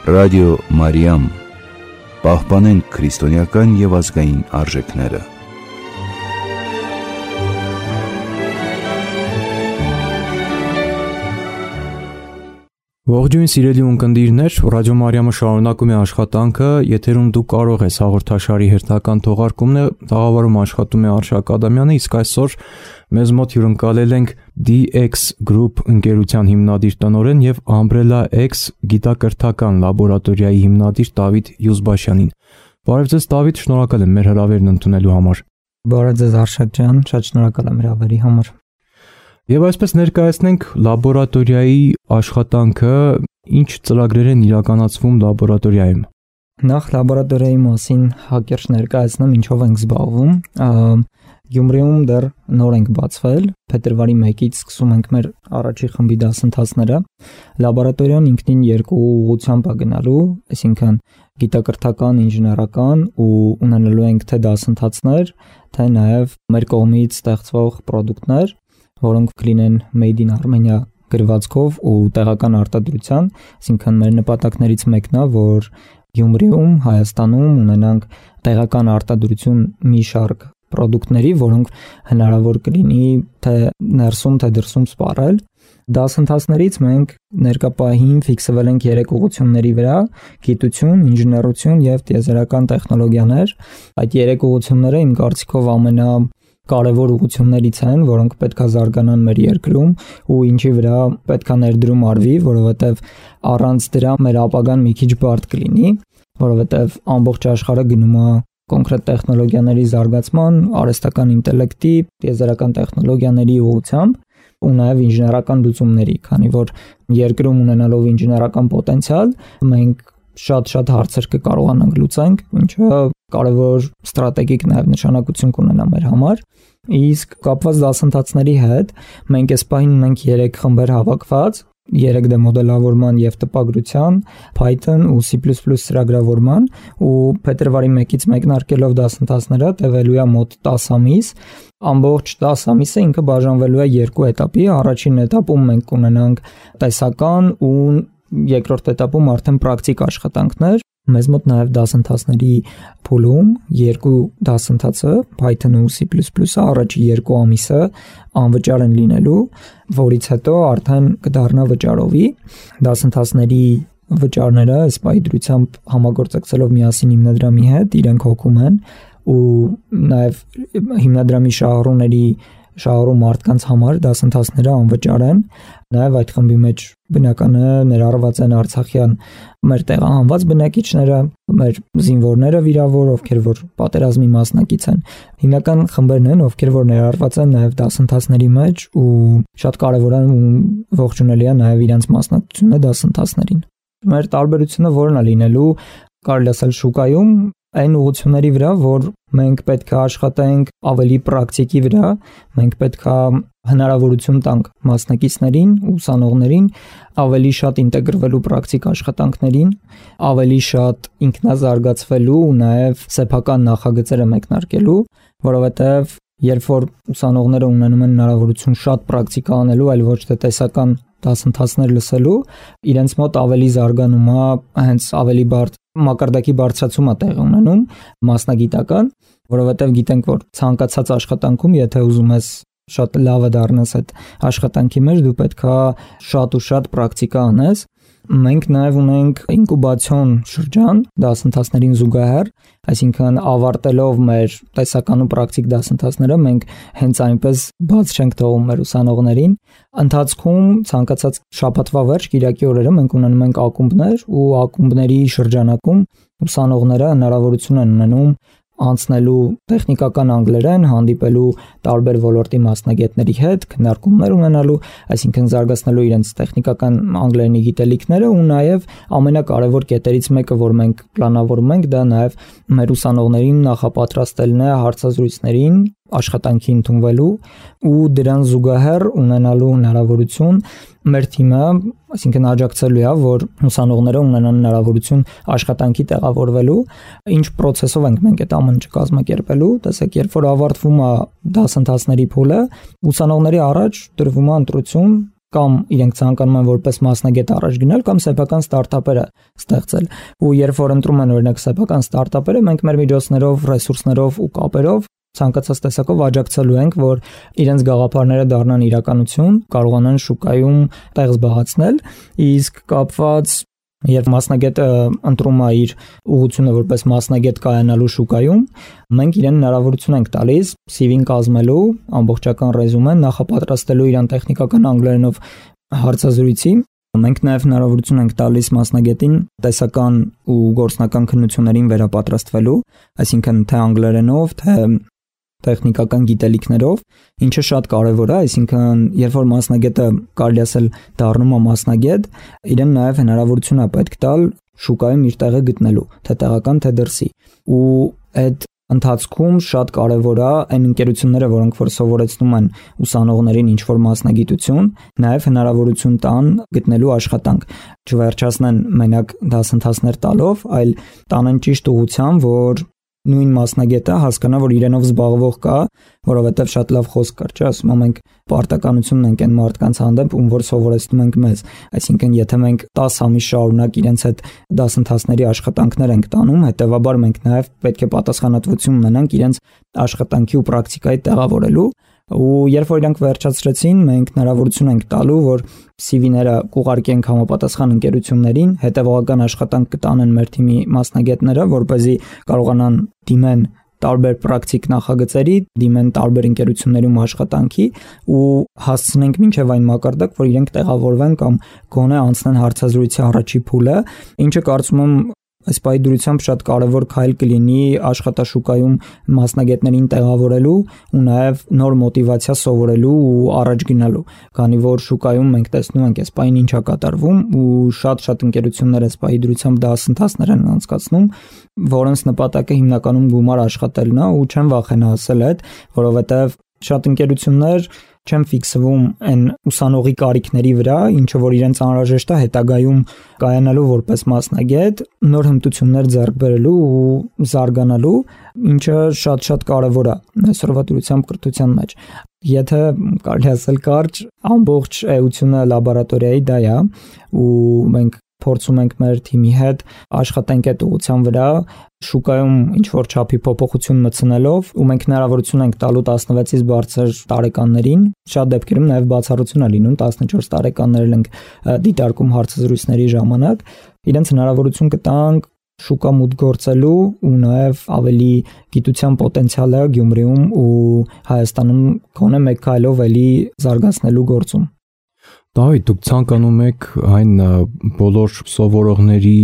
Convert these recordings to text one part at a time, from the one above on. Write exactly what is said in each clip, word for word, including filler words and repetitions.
Ռադիո Մարիամ։ Պահպանենք քրիստոնեական և ազգային արժեքները։ Ողջույն սիրելի ունկնդիրներ, Ռադիո Մարիամը շարունակում է աշխատանքը, եթերում դու կարող ես հաղորդաշարի հերթական թողարկումն է, տաղավարում աշխատում է Արշակ Ադամյանը, իսկ այսօր մեզ մոտ հյուրընկալել ենք դի էքս Group ընկերության հիմնադիր տնօրեն և Umbrella X գիտակրթական լաբորատորիայի հիմնադիր Դավիթ Յուզբաշյանին։ Բարև ձեզ Դավիթ, շնորհակալ եմ մեր հրավերն ընդունելու համար։ Բարև ձեզ Արշակ ջան, շատ շնորհակալ եմ հրավերի համար։ Եվ այսպես ներկայացնենք լաբորատորիայի աշխատանքը, ինչ ծրագրեր են իրականացվում լաբորատորիայում։ Նախ լաբորատորիայի մասին հակիրճ ներկայացնեմ, ինչով ենք զբաղվում։ Գյումրիում դեռ նոր ենք բացվել, փետրվարի մեկից սկսում ենք մեր առաջի խմբի դասընթացները։ Լաբորատորիան ինքնին երկու ուղղությամբ է գնալու, այսինքն գիտակրթական, ինժեներական ու ունենալու ենք թե դասընթացներ, թե նաև մեր կողմից ստեղծվող պրոդուկտներ, որոնք կլինեն Made in Armenia գրվածքով ու տեղական արտադրության, այսինքն մեր նպատակներից մեկն է, որ Գյումրիում, Հայաստանում ունենանք տեղական արտադրություն մի շարք պրոդուկտների, որոնք հնարավոր կլինի թե ներսում, թե դրսում սպառել։ Դասընթացներից մենք ներկա պահին ֆիքսվել ենք երեք ուղղությունների վրա՝ գիտություն, ինժեներություն և տիեզերական տեխնոլոգիաներ։ Այդ երեք ուղղությունները իմ կարծիքով ամենա կարևոր ուղղություններից են, որոնք պետք է զարգանան մեր երկրում ու ինչի վրա պետք է ներդրում արվի, որովհետև առանց դրա մեր ապագան մի քիչ բարդ կլինի, որովհետև ամբողջ աշխարհը գնում է կոնկրետ տեխնոլոգիաների զարգացման, արհեստական ինտելեկտի, տիեզերական տեխնոլոգիաների ուղղությամբ ու նաև ինժեներական լուծումների, քանի որ երկրում ունենալով ինժեներական պոտենցիալ, մենք շատ-շատ հարցեր կկարողանանք լուծենք, ինչը կարևոր ստրատեգիկ նաև նշանակություն կունենա մեր համար։ Իսկ կապված դասընթացների հետ մենք այս պահին ունենք երեք խմբեր հավաքված, երեք դե մոդելավորման և տպագրության, Python ու C plus plus ծրագրավորման ու փետրվարի մեկից մեկնարկելով դասընթացները տևելու է մոտ տասը ամիս։ Ամբողջ տասը ամիսը ինքը բաժանվելու է երկու էտապի։ Առաջին էտապում մենք կունենանք տեսական ու երկրորդ էտապում արդեն պրակտիկ աշխատանքներ։ Մեզ մոտ նաև դասընթացների փուլում երկու դասընթացը Python ու C plus plus-ը առաջի երկու ամիսը անվճար են լինելու, որից հետո արդեն կդառնա վճարովի։ Դասընթացների վճարները ըստ պայծրությամբ համագործակցելով միասին հիմնադրամի հետ իրենք հոգում են ու նաև հիմնադրամի շահառուների շահառու մարդկանց համար դասընթացները անվճար են։ Նաև այդ խմբի մեջ բնականը ներառված են արցախյան մեր տեղահանված բնակիչները, մեր զինվորները վիրավոր, ովքեր որ պատերազմի մասնակից են։ Հիմնական խմբերն են, ովքեր որ ներառված են նաև դասընթացների մեջ ու շատ կարևոր է ու ողջունելի է նաև իրենց մասնակցությունը դասընթացներին։ Մեր տարբերությունը որն է լինելու, կարելի ասել շուկայում այն ուղղությունների վրա, որ մենք պետք է աշխատենք ավելի պրակտիկի վրա, մենք պետք է հնարավորություն տանք մասնակիցներին, ուսանողներին ավելի շատ ինտեգրվելու պրակտիկ աշխատանքներին, ավելի շատ ինքնազարգացվելու ու նաև սեփական նախագծերը մեկնարկելու, որովհետև երբ որ ուսանողները ունենում են հնարավորություն շատ պրակտիկա անելու, այլ ոչ թե տեսական դասընթացներ լսելու, իրենց մոտ ավելի զարգանում է, հենց ավելի բարդ մակարդակի բարձրացում է տեղի ունենում մասնագիտական, որովհետև գիտենք, որ ցանկացած աշխատանքում, եթե ուզում ես շատ լավը դառնաս այդ աշխատանքի մեջ, դու պետք է շատ ու շատ պրակտիկա անես։ Մենք նաև ունենք ինկուբացիոն շրջան դասընթացներին զուգահեռ, այսինքն ավարտելով մեր տեսական ու պրակտիկ դասընթացները, մենք հենց այնպես բաց չենք թողում մեր ուսանողներին։ Ընթացքում ցանկացած շաբաթվա վերջ, կիրակի օրերը մենք ունենում ենք ակումբներ ու ակումբների շրջանակում ուսանողները հնարավորություն են ունենում անցնելու տեխնիկական անգլերեն, հանդիպելու տարբեր ոլորտի մասնագետների հետ, քննարկումներ ունենալու, այսինքն զարգացնելու իրենց տեխնիկական անգլերենի գիտելիքները ու նաև ամենակարևոր կետերից մեկը, որ մենք պլանավորում ենք, դա նաև մեր ուսանողներին նախապատրաստելն է հարցազրույցներին, աշխատանքի ընդունվելու ու դրան զուգահեռ ունենալու հնարավորություն մեր թիմը, այսինքն աջակցելու է, որ ուսանողները ունենան հնարավորություն աշխատանքի տեղավորվելու, ինչ process-ով ենք մենք այդ ամենը կազմակերպելու։ Տեսեք, երբ որ ավարտվում է դասընթացների փուլը, ուսանողների առաջ դրվում է ընտրություն կամ իրենք ցանկանում են որպես մասնագետ առաջ գնալ կամ սեփական ստարտափերը ստեղծել։ Ու երբ որ ընտրում են օրինակ սեփական ստարտափերը, մենք մեր միջոցներով, ռեսուրսներով ու կապերով ցանկացած տեսակով աջակցելու ենք, որ իրենց գաղափարները դառնան իրականություն, կարողանան շուկայում տեղ զբաղեցնել, իսկ կապված երբ մասնագետը ընտրում է իր ուղղությունը որպես մասնագետ կայանալու շուկայում, մենք իրեն հնարավորություն ենք տալիս սի վի-ն կազմելու, ամբողջական ռեզումեն նախապատրաստելու իրան տեխնիկական անգլերենով հարցազրույցի։ Մենք նաև հնարավորություն ենք տալիս մասնագետին տեսական ու գործնական քննություններին վերապատրաստվելու, այսինքն թե անգլերենով, թե տեխնիկական գիտելիքներով, ինչը շատ կարևոր է, այսինքն երբ որ մասնագետը կարելի ասել դառնում է մասնագետ, իրեն նաև հնարավորություն է պետք տալ շուկայում իր տեղը գտնելու, թե տեղական, թե դրսի։ Ու այդ ընթացքում շատ կարևոր է այն ընկերությունները, որոնք որ սովորեցնում են ուսանողներին ինչ-որ մասնագիտություն, նաև հնարավորություն տան գտնելու աշխատանք, չվերջացնեն մենակ դասընթացներ տալով, այլ տանեն ճիշտ ուղղությամբ, որ նույն մասնագետը հասկանա, որ իրենով զբաղվող կա, որովհետև շատ լավ խոսք կար, չէ՞, ասում ենք պարտականությունն ենք այն մարդկանց հանդեպ, ում որ սովորեցնում ենք մեզ, այսինքն եթե մենք տասը ամիս շարունակ իրենց հետ դասընթացների աշխատանքներ ենք տանում, հետեւաբար մենք նաև պետք է պատասխանատվություն ունենանք իրենց աշխատանքի ու պրակտիկայի տեղավորելու, ու երբ որ իրանք վերջացրեցին, մենք հնարավորություն ենք տալու, որ սի վի-ները կուղարկենք համապատասխան ընկերություններին, հետևողական աշխատանք կտանեն մեր թիմի մասնագետները, որպեսզի կարողանան դիմեն տարբեր պրակտիկ նախագծերի, դիմեն տարբեր ընկերություններում աշխատանքի ու հասցնենք մինչև այն մակարդակ, որ իրենք տեղավորվեն կամ գոնե անցնեն հարցազրույցի առաջի փուլը, ինչը կարծում եմ այս պայդրությամբ շատ կարևոր քայլ կլինի աշխատաշուկայում մասնագետներին տեղավորելու ու նաև նոր մոտիվացիա սովորելու ու առաջ գնալու, քանի որ շուկայում մենք տեսնում ենք այս պայն ինչա կատարվում ու շատ-շատ ընկերություններ այս պայդրությամբ դասընթացներ են անցկացնում, որոնց նպատակը հիմնականում գումար աշխատելն է ու չեմ վախենա ասել այդ, որովհետև շատ ընկերություններ չեն ֆիքսվում այն ուսանողի կարիքների վրա, ինչը որ իրենց անհրաժեշտ է հետագայում կայանալու որպես մասնագետ, նոր հմտություններ ձեռք բերելու ու զարգանալու, ինչը շատ-շատ կարևոր է այսօրվա դրությամբ կրթության մեջ։ Եթե կարելի ասել կարճ, ամբողջ էությունը լաբորատորիայի դա է ու մենք փորձում ենք մեր թիմի հետ աշխատենք այդ ուղղության վրա, շուկայում ինչ-որ չափի փոփոխություն մտցնելով ու մենք հնարավորություն ենք տալու տասնվեցից բարձր տարեկաններին, շատ դեպքերում նաև բացառություն է լինում, տասնչորս տարեկաններել ենք դիտարկում հարցազրույցների ժամանակ, իրենց հնարավորություն կտանք շուկա մուտք գործելու ու նաև ավելի գիտության պոտենցիալը Գյումրիում ու Հայաստանում գոնե մեկ քայլով էլի զարգացնելու գործում։ Դավիթ, դուք ցանկանում եք այն բոլոր սովորողների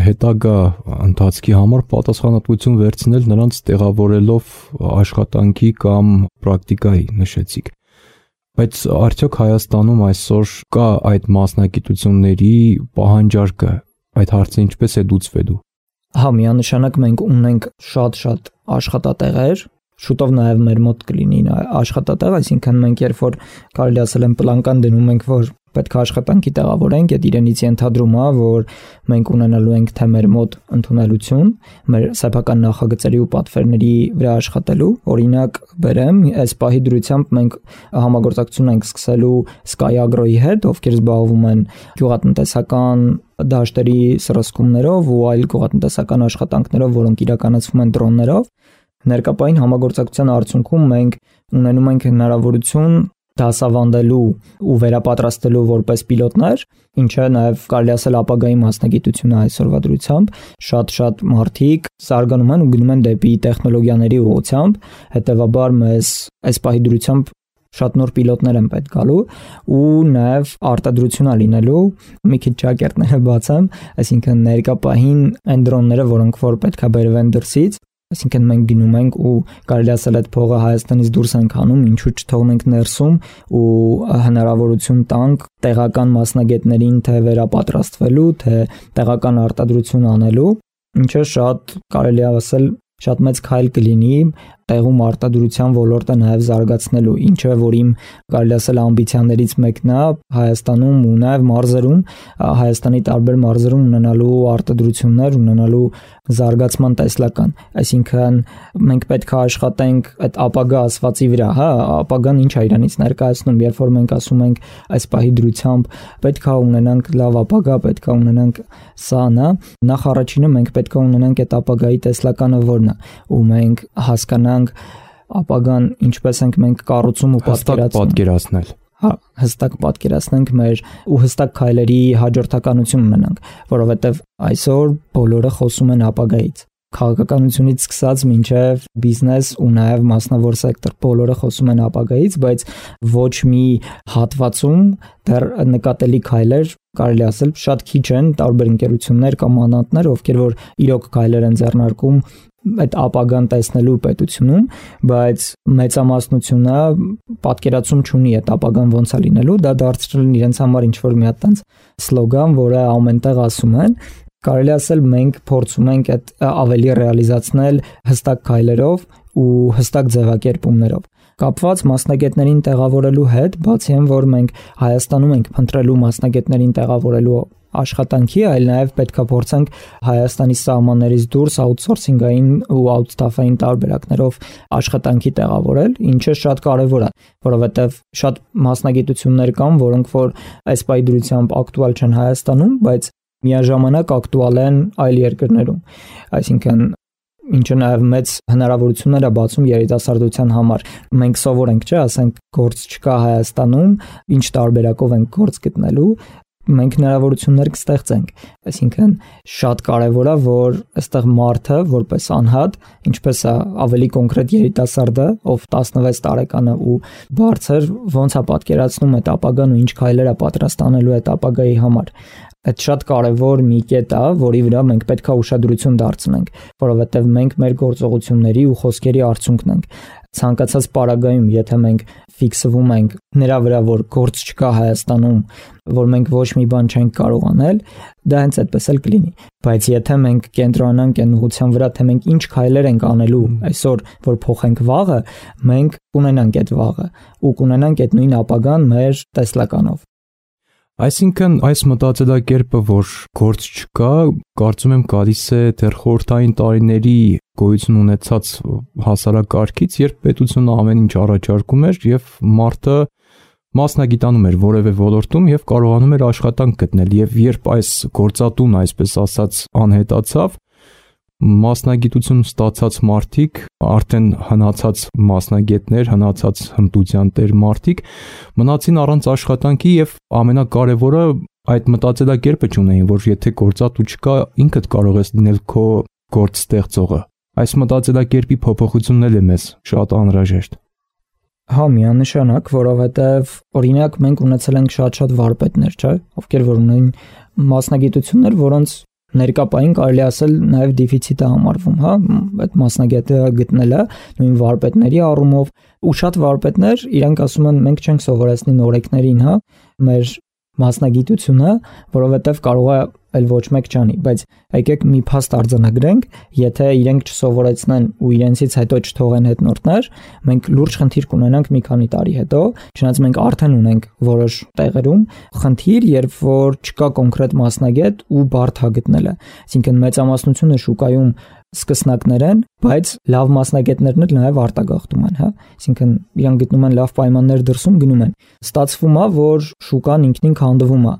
հետագա ընթացքի համար պատասխանատվություն վերցնել նրանց տեղավորելով աշխատանքի կամ պրակտիկայի, նշեցիք։ Բայց արդյոք Հայաստանում այսօր կա այդ մասնագիտությունների պահանջարկը, այդ հարցը ինչպես է լուծվելու։ Հա, միանշանակ մենք ունենք շատ-շատ աշխատատեղեր, շուտով նաև մեր մոտ կլինի աշխատատեղ, այսինքն մենք երբ որ կարելի ասել են պլանկան դնում ենք, որ պետք է աշխատանքի տեղավորենք, այդ իրենից ենթադրում է, որ մենք ունենալու ենք թե մեր մոտ ընդունելություն, մեր սեփական նախագծերի ու պատվերների վրա աշխատելու, օրինակ բերեմ, այս պահի դրությամբ մենք համագործակցություն ենք սկսելու Sky Agro-ի հետ, ովքեր զբաղվում են գյուղատնտեսական դաշտերի սրսկումներով ու այլ գյուղատնտեսական աշխատանքներով, որոնք իրականացվում են դրոններով։ Ներկայային համագործակցության արդյունքում մենք ունենում ենք հնարավորություն դասավանդելու ու վերապատրաստելու որպես պիլոտներ, ինչը նաև կարելի ասել ապագայի մասնագիտություն է այսօրվա դրությամբ, շատ-շատ մարդիկ զարգանում են ու գնում են դեպի տեխնոլոգիաների ուղղությամբ, հետևաբար մեզ այս պահի դրությամբ շատ նոր պիլոտներ են պետք գալու ու նաև արտադրություն է լինելու, մի քիչ ճակերտները բացեմ, այսինքն ներկա պահին այն դրոնները, որոնք որ պետք է բերվեն դրսից, այսինքն մենք գնում ենք ու կարելի ասել այդ փողը Հայաստանից դուրս ենք անում, ինչու չթողնենք ներսում ու հնարավորություն տանք տեղական մասնագետներին թե վերապատրաստվելու, թե տեղական արտադրություն անելու, ինչը շատ կարելի է ասել շատ մեծ քայլ կլինի տեղում արտադրության ոլորտը նաև զարգացնելու, ինչը որ իմ կարելի ասել ամբիցիաներից մեկն է Հայաստանում ու նաև մարզերում, Հայաստանի տարբեր մարզերում ունենալու արտադրություններ, ունենալու զարգացման տեսլական, այսինքն մենք պետք է աշխատենք այդ ապագա ասվածի վրա, հա, ապագան ինչ է իրանից ներկայացնում, երբ որ մենք ասում ենք այս պահի դրությամբ պետք է ունենանք լավ ապագա, պետք է ունենանք սան, հա, նախ առաջինը մենք պետք է ունենանք այդ ապագայի տեսլականը որն է, ու մենք հասկանանք ապագան ինչպես ենք մենք կառուցում ու պատկերացնել։ Հա, հստակ պատկերացնենք մեր ու հստակ քայլերի հաջորդականություն ունենանք, որովհետև այսօր բոլորը խոսում են ապագայից։ Քաղաքականությունից սկսած մինչև բիզնես ու նաև մասնավոր սեկտոր, բոլորը խոսում են ապագայից, բայց ոչ մի հատվածում դեռ նկատելի քայլեր կարելի ասել շատ քիչ են, տարբեր ընկերություններ կամ անհատներ, ովքեր որ իրոք քայլեր են ձեռնարկում այդ ապագան տեսնելու պետությունում, բայց մեծամասնությունը պատկերացում չունի այդ ապագան ոնց է լինելու, դա դարձրել են իրենց համար ինչ-որ մի հատ տենց սլոգան, որը ամենտեղ ասում են, կարելի ասել մենք փորձում ենք այդ ավելի ռեալիզացնել հստակ քայլերով ու հստակ ձևակերպումներով։ Կապված մասնագետներին տեղավորելու հետ, բացի այն, որ մենք Հայաստանում ենք փնտրելու մասնագետներին տեղավորելու աշխատանքի, այլ նաև պետք է փորձենք Հայաստանի սահմաններից դուրս աութսորսինգային ու աութստաֆային տարբերակներով աշխատանքի տեղավորել, ինչը շատ կարևոր է, որովհետև շատ մասնագիտություններ կան, որոնք որ այս պայդրությամբ ակտուալ չեն Հայաստանում, բայց միաժամանակ ակտուալ են այլ երկրներում, այսինքն ինչը նաև մեծ հնարավորություններ է բացում երիտասարդության համար։ Մենք սովոր ենք, չէ, ասենք գործ չկա Հայաստանում, ինչ տարբերակով ենք գործ գտնելու, մենք հնարավորություններ կստեղծենք, այսինքն շատ կարևոր է, որ այստեղ մարդը որպես անհատ, ինչպես է ավելի կոնկրետ երիտասարդը, ով տասնվեց տարեկան է ու բարձր, ոնց է պատկերացնում այդ ապագան ու ինչ քայլեր է պատրաստ անելու այդ ապագայի համար։ Այդ շատ կարևոր մի կետ է, որի վրա մենք պետք է ուշադրություն դարձնենք, որովհետև մենք մեր գործողությունների ու խոսքերի արդյունքն ենք։ Ցանկացած պարագայում, եթե մենք ֆիքսվում ենք նրա վրա, որ գործ չկա Հայաստանում, որ մենք ոչ մի բան չենք կարող անել, դա հենց այդպես էլ կլինի։ Բայց եթե մենք կենտրոնանանք այն ուղղության վրա, թե մենք ինչ քայլեր ենք անելու այսօր, որ փոխենք վաղը, մենք կունենանք այդ վաղը ու կունենանք այդ նույն ապագան մեր տեսլականով։ Այսինքն այս մտածելակերպը, որ գործ չկա, կարծում եմ գալիս է դեռ խորհրդային տարիների գոյություն ունեցած հասարակարգից, երբ պետությունը ամեն ինչ առաջարկում էր եւ մարդը մասնագիտանում էր որևէ ոլորտում եւ կարողանում էր աշխատանք գտնել, եւ երբ այս գործատուն, այսպես ասած, անհետացավ, մասնագիտություն ստացած մարդիկ, արդեն հնացած մասնագետներ, հնացած հմտության տեր մարդիկ մնացին առանց աշխատանքի եւ ամենակարևորը այդ մտածելակերպը չունեին, որ եթե գործատու չկա, ինքդ կարող ես լինել քո գործ ստեղծողը։ Այս մտածելակերպի փոփոխությունն էլ է մեզ շատ անհրաժեշտ։ Հա, միանշանակ, որովհետեւ օրինակ մենք ունեցել ենք շատ-շատ վարպետներ, չէ՞, ովքեր որ ունեն մասնագիտություններ, որոնց ներկապային կարելի ասել նաև դեֆիցիտ է համարվում, հա, այդ մասնագետը գտնելը նույն վարպետների առումով ու շատ վարպետներ իրենք ասում են մենք չենք սովորեցնի նորեկներին, հա, մեր մասնագիտությունը, որովհետև կարող է այլ ոչ մեկ չանի, բայց եկեք մի փաստ արձանագրենք, եթե իրենք չսովորեցնեն ու իրենցից հետո չթողեն հետնորդներ, մենք լուրջ խնդիր կունենանք մի քանի տարի հետո, չնայած մենք արդեն ունենք որոշ տեղերում խնդիր, երբ որ չկա կոնկրետ մասնագետ ու բարդ է գտնելը, այսինքն մեծամասնությունը շուկայում սկսնակներ են, բայց լավ մասնագետներն էլ նաև արտագաղթում են, հա, այսինքն իրանք գտնում են լավ պայմաններ դրսում գնում են։ Ստացվում է, որ շուկան ինքնին քանդվում է։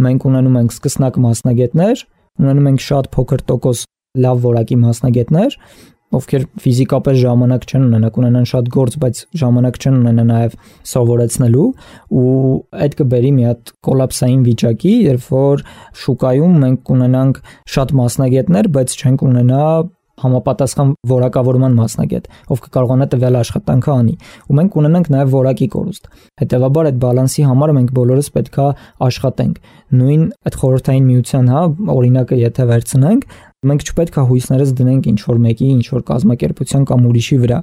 Մենք ունենում ենք սկսնակ մասնագետներ, ունենում ենք շատ փոքր տոկոս լավ որակի մասնագետներ, ովքեր ֆիզիկապես ժամանակ չեն ունենա, կունենան շատ գործ, բայց ժամանակ չեն ունենա նաև սովորեցնելու ու այդ կբերի մի հատ կոլապսային վիճակի, երբ որ շուկայում մենք կունենանք շատ մասնագետներ, բայց չենք ունենա համապատասխան որակավորման մասնագետ, ով կկարողանա տվյալ աշխատանքը անի, ու մենք ունենանք նաև որակի կորուստ։ Հետևաբար այդ բալանսի համար մենք բոլորս պետք է աշխատենք։ Նույն այդ խորհրդային միության, հա, օրինակը եթե վերցնենք, մենք չպետք է հույսներս դնենք ինչ որ մեկի, ինչ որ կազմակերպության կամ ուրիշի վրա։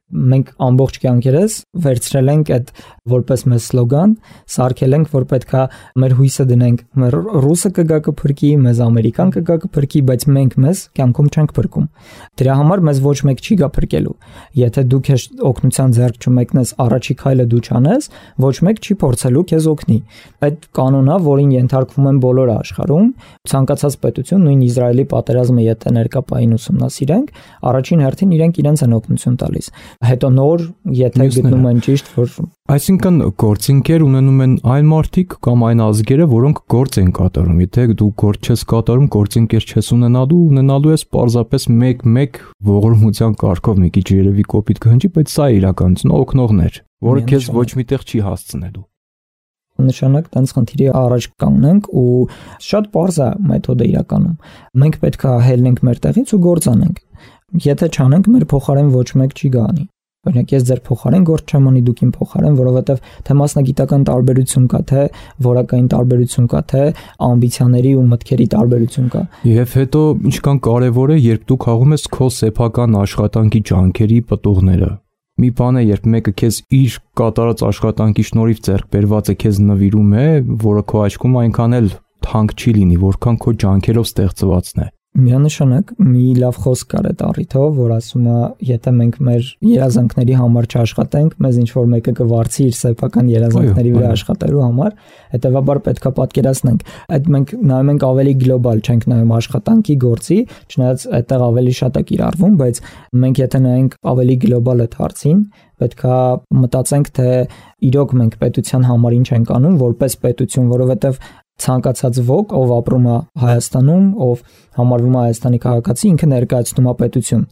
մենք ամբողջ կյանքերս վերցրել ենք այդ որպես մեծ սլոգան, սարքել ենք, որ պետքա մեր հույսը դնենք, մեր ռուսը կգա կփրկի, մեզ ամերիկան կգա կփրկի, բայց մենք մեզ կյանքում չենք փրկում։ Դրա համար մեզ ոչ մեկ չի գա փրկելու։ Եթե դու քեզ օգնության ձեռք չմեկնես, առաջի քայլը դու չանես, ոչ մեկ չի փորձելու քեզ օգնի։ Այդ կանոնը, որին ենթարկվում են բոլոր աշխարհում, ցանկացած պետություն, նույն Իսրայելի պատերազմը եթե ներկա պահին ուսումնասիրենք, առաջին հերթին իրենք իրենց են օգնություն տալիս։ Հետո նոր, եթե գտնում են ճիշտ, որ այսինքն գործինքեր ունենում են այն մարդիկ կամ այն ազգերը, որոնք գործ են կատարում։ Եթե դու գործ չես կատարում, գործինքեր չես ունենալու, ունենալու ես պարզապես մեկ-մեկ ողորմության կարգով մի քիչ երևի կոպիտ կհնչի, բայց սա է իրականությունը, օգնողներ, որը քեզ ոչ միտեղ չի հասցնելու։ Նշանակ տենց խնդիրի առաջ կանգնենք ու շատ པարզ է մեթոդը իրականում։ Մենք պետք է հելնենք մեր տեղից ու գործ անենք։ Եթե չանենք, մեր փոխարեն ոչ մեկ չի գանի։ Օրինակ ես ձեր փոխարեն գործ չեմ անի, դուք իմ փոխարեն, որովհետև թե մասնագիտական տարբերություն կա, թե որակային տարբերություն կա, թե ամբիցիաների ու մտքերի տարբերություն կա։ Եվ հետո ինչքան կարևոր է, երբ դու խաղում ես քո սեփական աշխատանքի ջանքերի պտուղները։ Մի բան է, երբ մեկը քեզ իր կատարած աշխատանքի շնորհիվ ձեռք բերվածը քեզ նվիրում է, որը քո աչքում այնքան էլ թանկ չի լինի, որքան քո ջանքերով ստեղծվածն է։ Միանշանակ մի լավ խոսք կար այդ առիթով, որ ասում է, եթե մենք մեր երազանքների համար չաշխատենք, մեզ ինչ որ մեկը կվարձի իր սեփական երազանքների վրա աշխատելու համար, հետեւաբար պետքա պատկերացնենք, այդ մենք նայում ենք ավելի գլոբալ, չենք նայում աշխատանքի գործի, չնայած այդտեղ ավելի շատ է կիրառվում, բայց մենք եթե նայենք ավելի գլոբալ այդ հարցին, պետքա մտածենք, թե իրոք մենք պետության համար ինչ ենք անում, որպես պետություն, որովհետև ցանկացած ոք, ով ապրում է Հայաստանում, ով համարվում է Հայաստանի քաղաքացի, ինքը ներկայացնում է պետություն։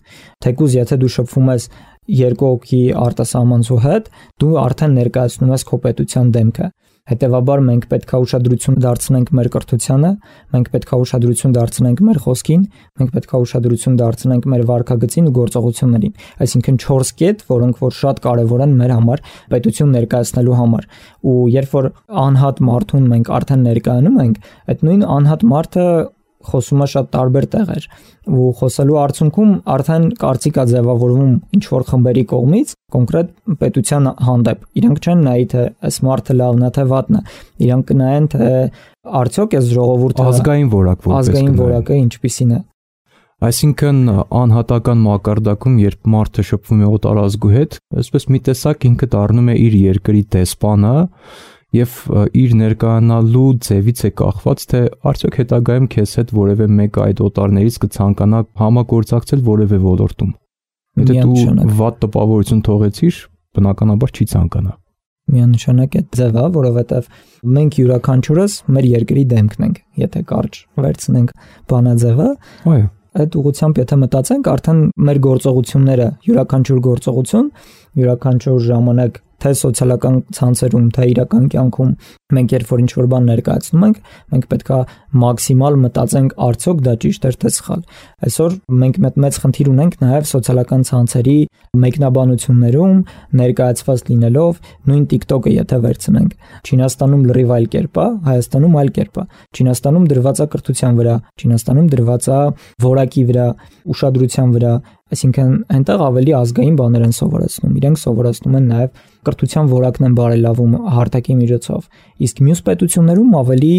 Թեկուզ եթե դու շփվում ես երկու հոգի արտասահմանցու հետ, դու արդեն ներկայացնում ես քո պետության դեմքը։ Հետևաբար մենք պետք է ուշադրություն դարձնենք մեր կրթությանը, մենք պետք է ուշադրություն դարձնենք մեր խոսքին, մենք պետք է ուշադրություն դարձնենք մեր վարքագծին ու գործողություններին։ Այսինքն չորս կետ, որոնք որ շատ կարևոր են մեր համար պետություն ներկայացնելու համար։ Ու երբ որ անհատ մարդուն մենք արդեն ներկայանում ենք, այդ նույն անհատ մարդը խոսում է շատ տարբեր տեղեր ու խոսելու արդյունքում արդեն կարծիք է ձևավորվում ինչ որ խմբերի կողմից կոնկրետ պետության հանդեպ։ Իրանք չեն նայի թե այս մարդը լավն է թե վատն է, իրանք կնայեն թե արդյոք այս ժողովուրդը ազգային որակ որպես ազգային որակը ինչպիսին է։ Այսինքն անհատական մակարդակում, երբ մարդը շփվում է օտարազգու հետ, այսպես մի տեսակ ինքը դառնում է իր երկրի դեսպանը եւ իր ներկայանալու ձևից է կախված, թե արդյոք հետագայում քեզ հետ որևէ մեկը այդ օտարներից կցանկանա համագործակցել որևէ ոլորտում։ Եթե դու վատ տպավորություն թողեցիր, բնականաբար չի ցանկանա։ Միանշանակ է ձևը, որովհետև մենք յուրաքանչյուրս մեր երկրի դեմքն ենք, եթե կարճ վերցնենք բանաձևը, այո, այդ ուղղությամբ եթե մտածենք, արդեն մեր գործողությունները, յուրաքանչյուր գործողություն, յուրաքանչյուր ժամանակ թե սոցիալական ցանցերում, թե իրական կյանքում մենք երբ որ ինչ-որ բան ներկայացնում ենք, մենք պետքա մաքսիմալ մտածենք արդյոք դա ճիշտ է թե սխալ։ Այսօր մենք մեծ խնդիր ունենք նաև սոցիալական ցանցերի մեկնաբանություններում ներկայացված լինելով, նույն TikTok-ը եթե վերցնենք, Չինաստանում լրիվ այլ կերպ է, Հայաստանում այլ կերպ է։ Չինաստանում դրված է կրթության վրա, Չինաստանում դրված է որակի վրա, ուշադրության վրա, այսինքն այնտեղ ավելի ազգային բաներ են սովորեցնում, իրենք սովորեցնում են նաև կրթության որակն են բարելավում հարթակի միջոցով, իսկ մյուս պետություններում ավելի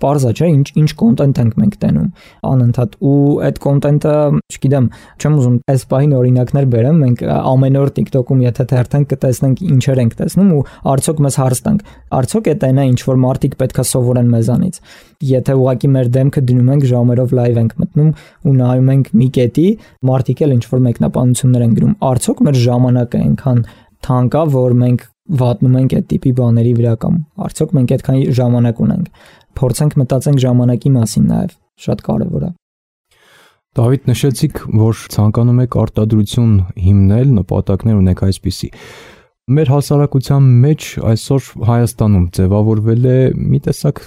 պարզ է, չէ, ինչ ինչ կոնտենտ ենք մենք տենում անընդհատ ու այդ կոնտենտը, չգիտեմ, չեմ ուզում այս պահին օրինակներ բերեմ, մենք ամեն օր TikTok-ում եթե թերթենք կտեսնենք ինչեր ենք տեսնում ու արդյոք մեզ հարց տանք, արդյոք է տենա ինչ որ մարդիկ պետքա սովորեն մեզանից։ Եթե ուղղակի մեր դեմքը դնում ենք ժամերով լայվ ենք մտնում ու նայում ենք մի կետի, մարդիկ էլ ինչ որ մեկնաբանություններ են գրում, արդյոք մեր ժամանակը այնքան թանկ է, որ մենք վատնում ենք այդ տիպի բաների վրա կամ արդյոք մենք այդքան ժամանակ ունենք։ Փորձենք մտածենք ժամանակի մասին նաև, շատ կարևոր է։ Դավիթ, նշեցիք, որ ցանկանում եք արտադրություն հիմնել, նպատակներ ունեք այսպիսի։ Մեր հասարակության մեջ այսօր Հայաստանում ձևավորվել է մի տեսակ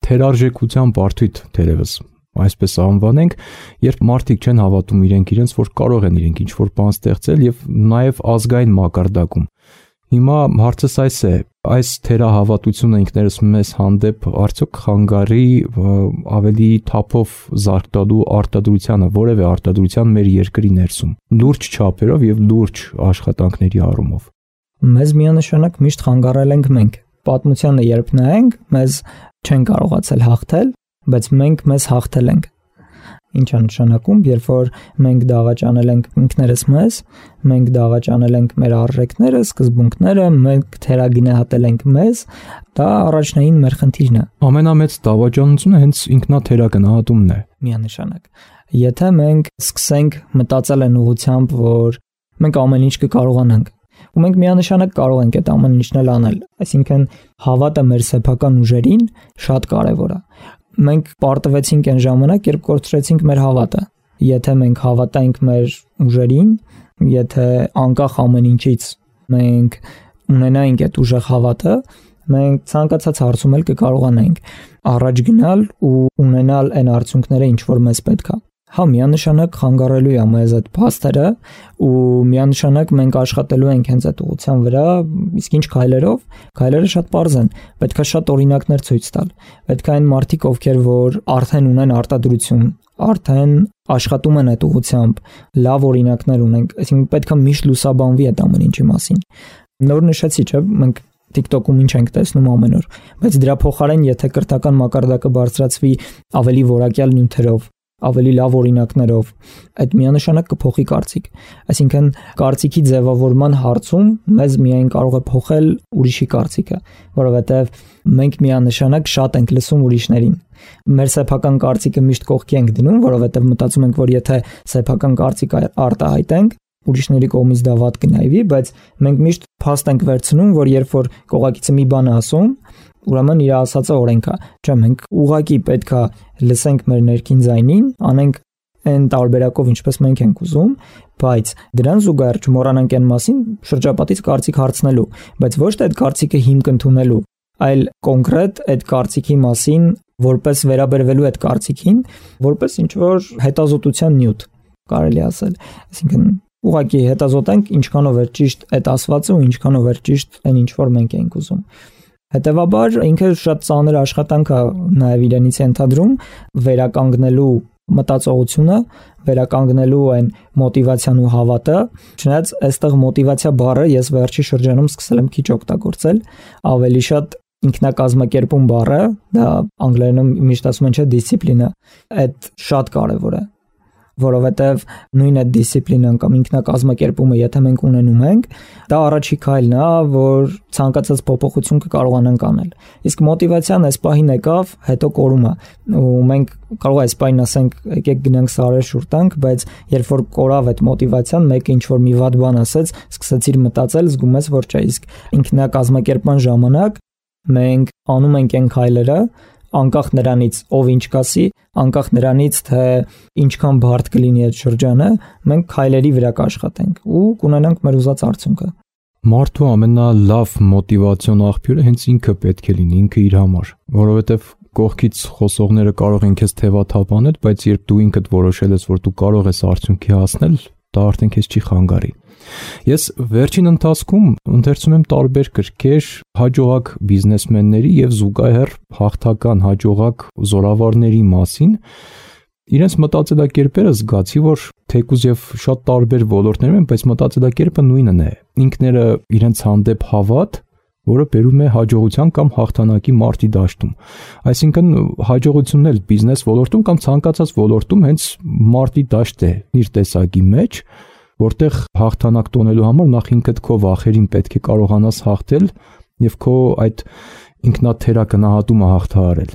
թերարժեքության բարդույթ, թերևս այսպես անվանենք, երբ մարդիկ չեն հավատում իրենք իրենց, որ կարող են իրենք ինչ-որ բան ստեղծել եւ նաեւ ազգային մակարդակում։ Հիմա հարցս այս է. այս թերահավատությունը ինքներս մեզ հանդեպ արդյոք խանգարի ավելի թափով զարգանալու արտադրությանը, որևէ արտադրության մեր երկրի ներսում, լուրջ չափերով եւ լուրջ աշխատանքների առումով։ Մեզ միանշանակ միշտ խանգարել ենք մենք։ Պատմությանը երբ նայենք, մեզ չեն կարողացել հաղթել, բայց մենք մեզ հաղթել ենք։ Ինչ է նշանակում, երբ որ մենք դավաճանել ենք ինքներս մեզ, մենք դավաճանել ենք մեր արժեքները, սկզբունքները, մենք թերագնահատել ենք մեզ, դա առաջնային մեր խնդիրն է։ Ամենամեծ դավաճանությունը հենց ինքնաթերագնահատումն է։ Միանշանակ։ Եթե մենք սկսենք մտածել այն ուղղությամբ, որ մենք ամեն ինչ կկարողանանք, ու մենք միանշանակ կարող ենք այդ ամեն ինչն անել, այսինքն հավատը մեր սեփական ուժերին շատ կարևոր է։ Մենք պարտվեցինք այն ժամանակ, երբ կորցրեցինք մեր հավատը։ Եթե մենք հավատայինք մեր ուժերին, եթե անկախ ամեն ինչից մենք ունենայինք այդ ուժեղ հավատը, մենք ցանկացած հարցում էլ կկարողանայինք առաջ գնալ ու ունենալ այն արդյունքները, ինչ որ մեզ պետք է։ Հա, միանշանակ խանգարելու է մեզ այդ փաստերը ու միանշանակ մենք աշխատելու ենք հենց այդ ուղղության վրա, իսկ ինչ քայլերով, քայլերը շատ པարզ են, պետքա շատ օրինակներ ցույց տալ։ Պետք է այն մարդիկ, ովքեր որ արդեն ունեն արտադրություն, արդեն աշխատում են այդ ուղղությամբ, լավ օրինակներ ունենք, այսինքն պետքա միշտ լուսաբանվի այդ ամեն ինչի մասին։ Նոր նշեցի, չէ՞, մենք TikTok-ում ինչ ենք տեսնում ամեն օր, բայց դրա փոխարեն եթե կրթական մակարդակը բարձրացվի ավելի որակյալ նյութերով, ավելի լավ օրինակներով, այդ միանշանակ կփոխի կարծիք։ Այսինքն կարծիքի ձևավորման հարցում մեզ միայն կարող է փոխել ուրիշի կարծիքը, որովհետև մենք միանշանակ շատ ենք լսում ուրիշներին։ Մեր սեփական կարծիքը միշտ կողքի ենք դնում, որովհետև մտածում ենք, որ եթե սեփական կարծիք արտահայտենք, ուրիշների կողմից դա վատ կնայվի, բայց մենք միշտ փաստ ենք վերցնում, որ երբ որ կողակիցը մի բան ասում, ուրեմն իր ասածը օրենք է։ Չէ, մենք ուղղակի պետքա լսենք մեր ներքին ձայնին, անենք այն տարբերակով, ինչպես մենք ենք ուզում, բայց դրան զուգահեռ չմոռանանք այն մասին շրջապատից կարծիք հարցնելու, բայց ոչ թե այդ կարծիքը հիմք ընդունելու, այլ կոնկրետ այդ կարծիքի մասին որպես վերաբերվելու այդ կարծիքին, որպես ինչ որ հետազոտության նյութ, կարելի ասել։ Այսինքն ուղղակի հետազոտենք ինչքանով է ճիշտ այդ ասվածը ու ինչքանով է ճիշտ այն ինչ որ մենք ենք ուզում։ Հետևաբար ինքը շատ ծանր աշխատանք է նաև իրենից ենթադրում վերականգնելու մտածողությունը, վերականգնելու այն մոտիվացիան ու հավատը, չնայած այստեղ մոտիվացիա բառը ես վերջի շրջանում սկսել եմ քիչ օգտագործել, ավելի շատ ինքնակազմակերպում բառը, դա անգլերենում միշտ ասում են չէ դիսցիպլինա, այդ շատ կարևոր է, որովհետև նույն այդ դիսցիպլինան կամ ինքնակազմակերպումը եթե մենք ունենում ենք, դա առաջի քայլն է, որ ցանկացած փոփոխություն կկարողանանք անել։ Իսկ մոտիվացիան այս պահին եկավ, հետո կորում է, ու մենք կարող է այս պահին ասենք, եկեք գնանք սարեր շուռ տանք, բայց երբ որ կորավ այդ մոտիվացիան, մեկը ինչ որ մի վատ բան ասեց, սկսեցիր մտածել, զգում ես, որ չէ, իսկ ինքնակազմակերպման ժամանակ մենք անում ենք այն քայլերը, անկախ նրանից ով ինչ կասի, անկախ նրանից թե ինչքան բարդ կլինի այդ շրջանը, մենք քայլերի վրա կաշխատենք ու կունենանք մեր ուզած արդյունքը։ Մարդու ամենալավ մոտիվացիոն աղբյուրը հենց ինքը պետք է լինի, ինքը իր համար, որովհետև կողքից խոսողները կարող են քեզ թևաթափանել, բայց երբ դու ինքդ որոշել ես, որ դու կարող ես արդյունքի հասնել, դա արդեն քեզ չի խանգարի։ Ես վերջին ընթացքում ընթերցում եմ տարբեր գրքեր հաջողակ բիզնեսմենների եւ զուգահեռ հաղթական հաջողակ զորավարների մասին։ Իրենց մտածելակերպերը զգացի, որ թեկուզ եւ շատ տարբեր ոլորտներում են, բայց մտածելակերպը նույնն է։ Ինքները իրենց հանդեպ հավատ, որը բերում է հաջողության կամ հաղթանակի մարտի դաշտում։ Այսինքն հաջողությունն էլ բիզնես ոլորտում կամ ցանկացած ոլորտում հենց մարտի դաշտ է իր տեսակի մեջ, որտեղ հաղթանակ տոնելու համար նախ ինքդ քո վախերին պետք է կարողանաս հաղթել եւ քո այդ ինքնաթերագնահատումը հաղթահարել։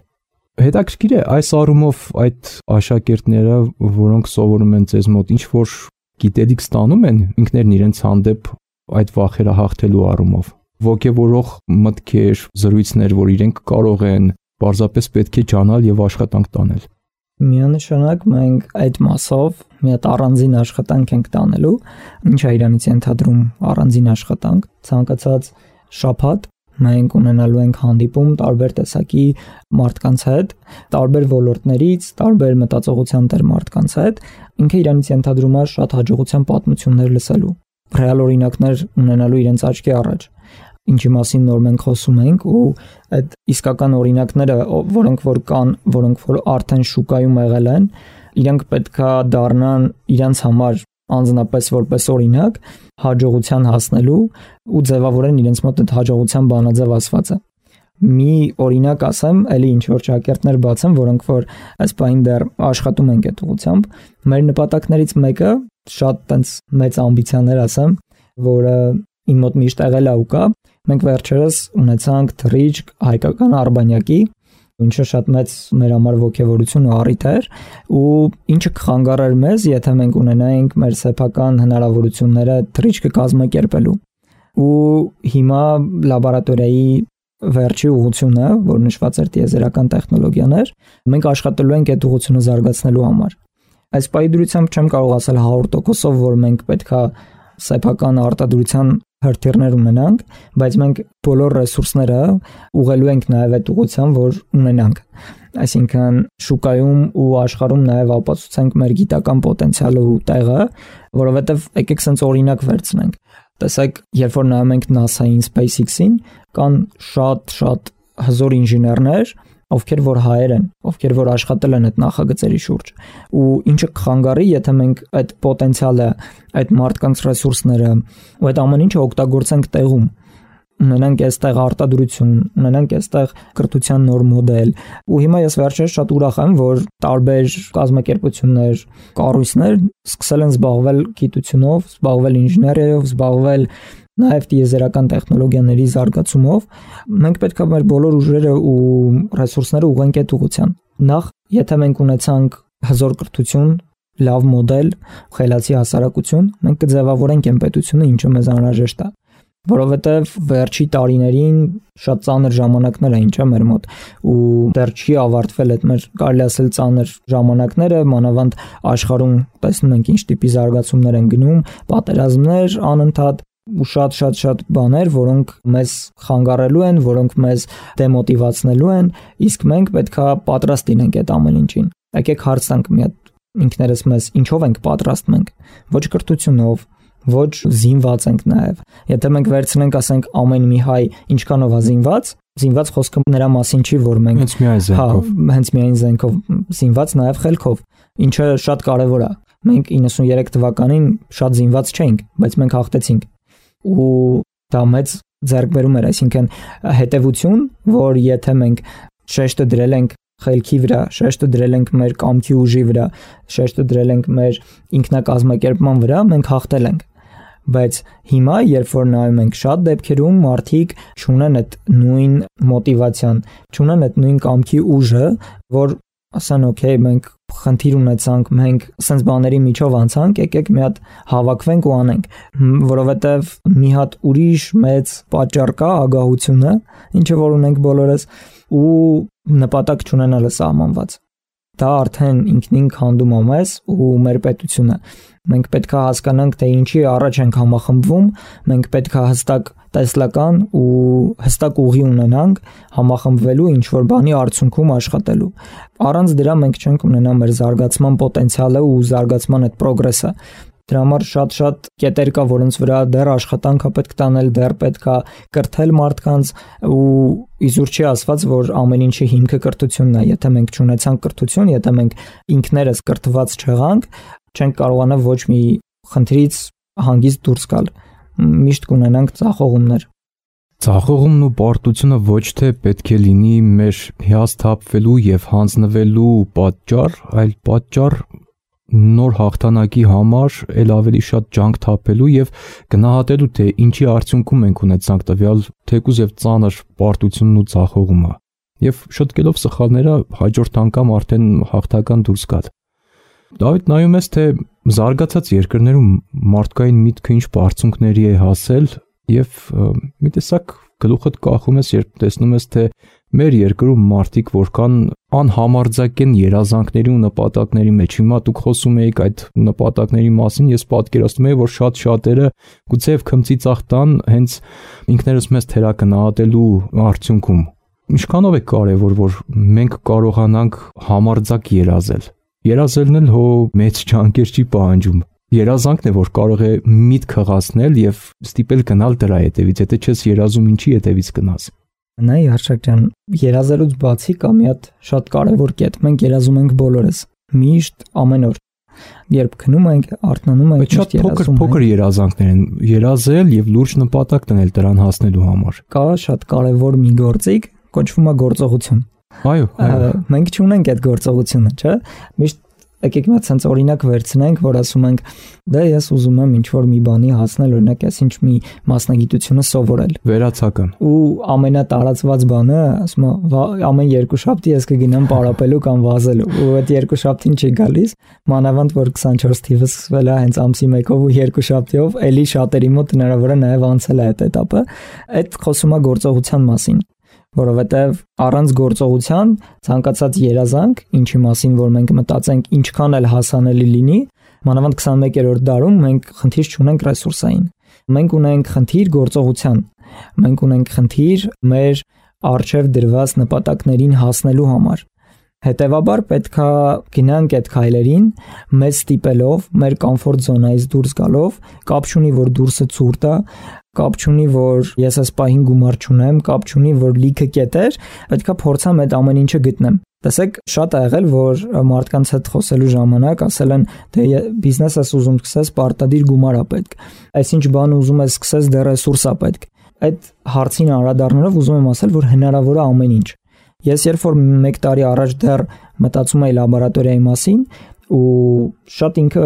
Հետաքրքիր է այս առումով այդ աշակերտները, որոնք սովորում են ձեզ մոտ, ինչ որ գիտելիք ստանում են ինքներն իրենց հանդեպ այդ վախերը հաղթելու առումով։ Ոգևորող մտքեր, զրույցներ, որ իրենք կարող են պարզապես պետք է ճանալ եւ աշխատանք տանել։ Միանշանակ մենք այդ մասով մի հատ առանձին աշխատանք ենք տանելու, ինչ է իրանից ենթադրում առանձին աշխատանք, ցանկացած շաբաթ մենք ունենալու ենք հանդիպում տարբեր տեսակի մարդկանց հետ, տարբեր ոլորտներից, տարբեր մտածողության տեր մարդկանց հետ, ինքը իրանից ենթադրում է շատ հաջողության պատմություններ լսելու, ռեալ օրինակներ ունենալու իրենց աչքի առաջ։ ինչի մասին նոր մենք խոսում ենք, ու այդ իսկական օրինակները, որոնք որ կան, որոնք որ արդեն շուկայում եղել են, իրենք պետքա դառնան իրենց համար անձնապես որպես օրինակ հաջողության հասնելու ու ձևավորեն իրենց մոտ այդ հաջողության բանաձև ասվածը։ Մի օրինակ ասեմ, էլի ինչ որ շակերտներ բացեմ, որոնք որ այս բային դեռ աշխատում են այդ ուղղությամբ։ Մեր նպատակներից մեկը շատ տենց մեծ ամբիցիաներ ասեմ, որը իմ մոտ միշտ եղել է ու կա։ Մենք վերջերս ունեցանք թռիչք հայկական արբանյակի, ինչը շատ մեծ մեր համար ոգևորություն ու առիթ էր, ու ինչը կխանգարեր մեզ, եթե մենք ունենայինք մեր սեփական հնարավորությունները թռիչքը կազմակերպելու։ Ու հիմա լաբորատորիայի վերջի ուղղությունը, որ նշված էր տիեզերական տեխնոլոգիաներ, մենք աշխատելու ենք այդ ուղղությունը զարգացնելու համար։ Այս պայդրությամբ չեմ կարող ասել հարյուր տոկոսով, որ մենք պետքա սեփական արտադրության հրթիռներ ունենանք, բայց մենք բոլոր ռեսուրսները ուղղելու ենք նաև այդ ուղղությամբ, որ ունենանք։ Այսինքն շուկայում ու աշխարհում նաև ապացուցենք մեր գիտական պոտենցիալը ու տեղը, որովհետև եկեք sense օրինակ վերցնենք։ Տեսեք, երբ որ նայում ենք NASA-ին, SpaceX-ին, կան շատ-շատ հզոր ինժեներներ, ովքեր որ հայեր են, ովքեր որ աշխատել են այդ նախագծերի շուրջ, ու ինչը կխանգարի, եթե մենք այդ պոտենցիալը, այդ մարդկանց ռեսուրսները ու այդ ամեն ինչը օգտագործենք տեղում, ունենանք այստեղ արտադրություն, ունենանք այստեղ կրթության նոր մոդել, ու հիմա ես վերջերս շատ ուրախ եմ, որ տարբեր կազմակերպություններ, կառույցներ սկսել են զբաղվել գիտությունով, զբաղվել ինժեներիայով, զբաղվել նաև տիեզերական տեխնոլոգիաների զարգացումով։ Մենք պետք է մեր բոլոր ուժերը ու ռեսուրսները ուղղենք այդ ուղղության։ Նախ, եթե մենք ունեցանք հզոր կրթություն, լավ մոդել, խելացի հասարակություն, մենք կձևավորենք այն պետությունը, ինչը մեզ անհրաժեշտ է, որովհետև վերջի տարիներին շատ ծանր ժամանակներ էին, չէ՞, մեր մոտ, ու դեռ չի ավարտվել այդ մեր կարելի ասել ծանր ժամանակները, մանավանդ աշխարհում տեսնում ենք ինչ տիպի զարգացումներ են գնում, պատերազմներ անընդհատ ու շատ-շատ-շատ բաներ, որոնք մեզ խանգարելու են, որոնք մեզ դեմոտիվացնելու են, իսկ մենք պետքա պատրաստ լինենք այդ ամեն ինչին։ Եկեք հարց տանք մի հատ ինքներս մեզ, ինչով ենք պատրաստ մենք։ Ոչ կրթությունով, ոչ զինված ենք նաև։ Եթե մենք վերցնենք, ասենք, ամեն մի հայ ինչքանով է զինված, զինված խոսքը նրա մասին չի, որ մենք հենց միայն զենքով, հա, հենց միայն զենքով, զինված նաև խելքով, ինչը շատ կարևոր է։ Մենք իննսուններեք թվականին շատ զինված չէինք, բայց մենք հաղթեցինք։ Ու դա մեծ ձեռքբերում էր, այսինքն հետևություն, որ եթե մենք շեշտը դրել ենք խելքի վրա, շեշտը դրել ենք մեր կամքի ուժի վրա, շեշտը դրել ենք մեր ինքնակազմակերպման վրա, մենք հաղթել ենք։ Բայց հիմա, երբ որ նայում ենք շատ դեպքերում, մարդիկ չունեն այդ նույն մոտիվացիան, չունեն այդ նույն կամքի ուժը, որ ասեն, օքեյ, մենք խնդիր ունեցանք, մենք sense բաների միջով անցանք, եկեք մի հատ հավաքվենք ու անենք, որովհետև մի հատ ուրիշ մեծ պատճառ կա, ագահությունը, ինչը որ ունենք բոլորս, ու նպատակ չունենալը սահմանված։ Դա արդեն ինքնին քանդում է մեզ ու մեր պետությունը։ Մենք պետք է հասկանանք, թե ինչի առաջ ենք համախմբվում, մենք պետք է հստակ տեսլական ու հստակ ուղի ունենանք համախմբվելու ինչ-որ բանի արդյունքում աշխատելու։ Առանց դրա մենք չենք ունենա մեր զարգացման պոտենցիալը ու զարգացման այդ պրոգրեսը։ Դրա համար շատ-շատ կետեր կա, որոնց վրա դեռ աշխատանք է պետք տանել, դեռ պետք է կրթել մարդկանց, ու իզուր չի ասված, որ ամեն ինչի հիմքը կրթությունն է։ Եթե մենք չունեցանք կրթություն, եթե մենք ինքներս կրթված չեղանք, չենք կարողանա ոչ մի խնդրից հանգիստ դուրս գալ։ Միշտ կունենանք ձախողումներ։ Ձախողումն ու պարտությունը ոչ թե պետք է լինի մեր հիասթափվելու եւ հանձնվելու պատճառ, այլ պատճառ նոր հաղթանակի համար ել ավելի շատ ջանք թափելու եւ գնահատելու, թե ինչի արդյունքում ենք ունեցանք տվյալ թեկուզ եւ ծանր պարտությունն ու ձախողումը, եւ շտկելով սխալները հաջորդ անգամ արդեն հաղթական դուրս գալ։ Դավիթ, նայում ես, թե զարգացած երկրներում մարդկային միտքը ինչ բարձունքների է հասել, եւ մի տեսակ գլուխդ կախում ես, երբ տեսնում ես, թե մեր երկրում մարդիկ որքան անհամարձակ են երազանքների ու նպատակների մեջ։ Հիմա դուք խոսում եք այդ նպատակների մասին, ես պատկերացնում եմ, որ շատ շատերը գուցեև քմծի ծախտան հենց ինքներս մեզ թերակնահատելու արդյունքում։ Ինչքանով է կարևոր, որ մենք կարողանանք համարձակ երազել։ Երազելն էլ հո մեծ ջանքեր չի պահանջում։ երազանքն է, որ կարող է միտք հղացնել եւ ստիպել գնալ դրա հետևից, եթե չես երազում, ինչի հետևից գնաս։ Նայ Արշակ ջան, երազելուց բացի կա մի հատ շատ կարևոր կետ։ Մենք երազում ենք բոլորս, միշտ, ամեն օր։ Երբ քնում ենք, արթնանում ենք, շատ փոքր փոքր երազանքներ են, երազել եւ լուրջ նպատակ դնել դրան հասնելու համար։ Կա շատ կարևոր մի գործիք, կոչվում է գործողություն։ Այո, այո։ Մենք չունենք այդ գործողությունը, չէ՞։ Միշտ եկեք մի հատ sense օրինակ վերցնենք, որ ասում ենք, դե ես ուզում եմ ինչ-որ մի բանի հասնել, օրինակ ես ինչ մի մասնագիտությունը սովորել։ Վերացական։ Ու ամենատարածված բանը, ասում եմ, ամեն երկու շաբթի ես կգնամ պարապելու կամ վազելու։ Ու այդ երկու շաբթին չի գալիս, մանավանդ որ քսանչորս թիվը սկսվել է հենց ամսի մեկով ու երկու շաբթիով, էլի շատերի մոտ հնարավոր է նաև անցել է այդ этаպը։ Այդ խոսում է գործողության մասին, որովհետև առանց գործողության ցանկացած երազանք, ինչի մասին որ մենք մտածենք, ինչքան էլ հասանելի լինի, մանավանդ քսանմեկերորդ դարում մենք խնդիր չունենք ռեսուրսային։ Մենք ունենք խնդիր գործողության։ Մենք ունենք խնդիր մեր առջև դրված նպատակներին հասնելու համար։ Հետևաբար պետք է գնանք այդ քայլերին, մեզ ստիպելով, մեր կոմֆորտ զոնայից դուրս գալով, կապ չունի որ դուրսը ցուրտ է, կապ չունի որ ես այս պահին գումար չունեմ, կապ չունի որ լիքը կետեր, պետք է փորձեմ այդ ամեն ինչը գտնեմ։ Տեսեք, շատ է եղել, որ մարդկանց հետ խոսելու ժամանակ ասել են, թե բիզնես ես ուզում սկսես, պարտադիր գումար է պետք։ Այսինչ բան ուզում ես սկսես, դեռ ռեսուրս է պետք։ Այդ հարցին անդրադառնալով ուզում եմ ասել, որ հնարավոր է ամեն ինչ։ Ես երբ որ մեկ տարի առաջ դեռ մտածում էի լաբորատորիայի մասին ու շատ ինքը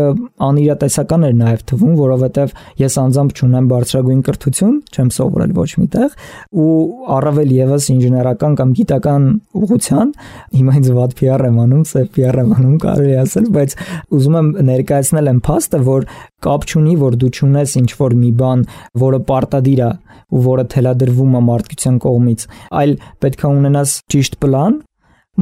անիրատեսական էր նաև թվում, որովհետև ես անձամբ չունեմ բարձրագույն կրթություն, չեմ սովորել ոչ միտեղ ու առավել եւս ինժեներական կամ գիտական ուղղության, հիմա ինձ վատ P R եմ անում, սև P R եմ անում, կարելի ասել, բայց ուզում եմ ներկայացնել այն փաստը, որ կապ չունի, որ դու չունես ինչ-որ մի բան, որը պարտադիր է ու որը թելադրվում է մարդկության կողմից, այլ պետք է ունենաս ճիշտ պլան,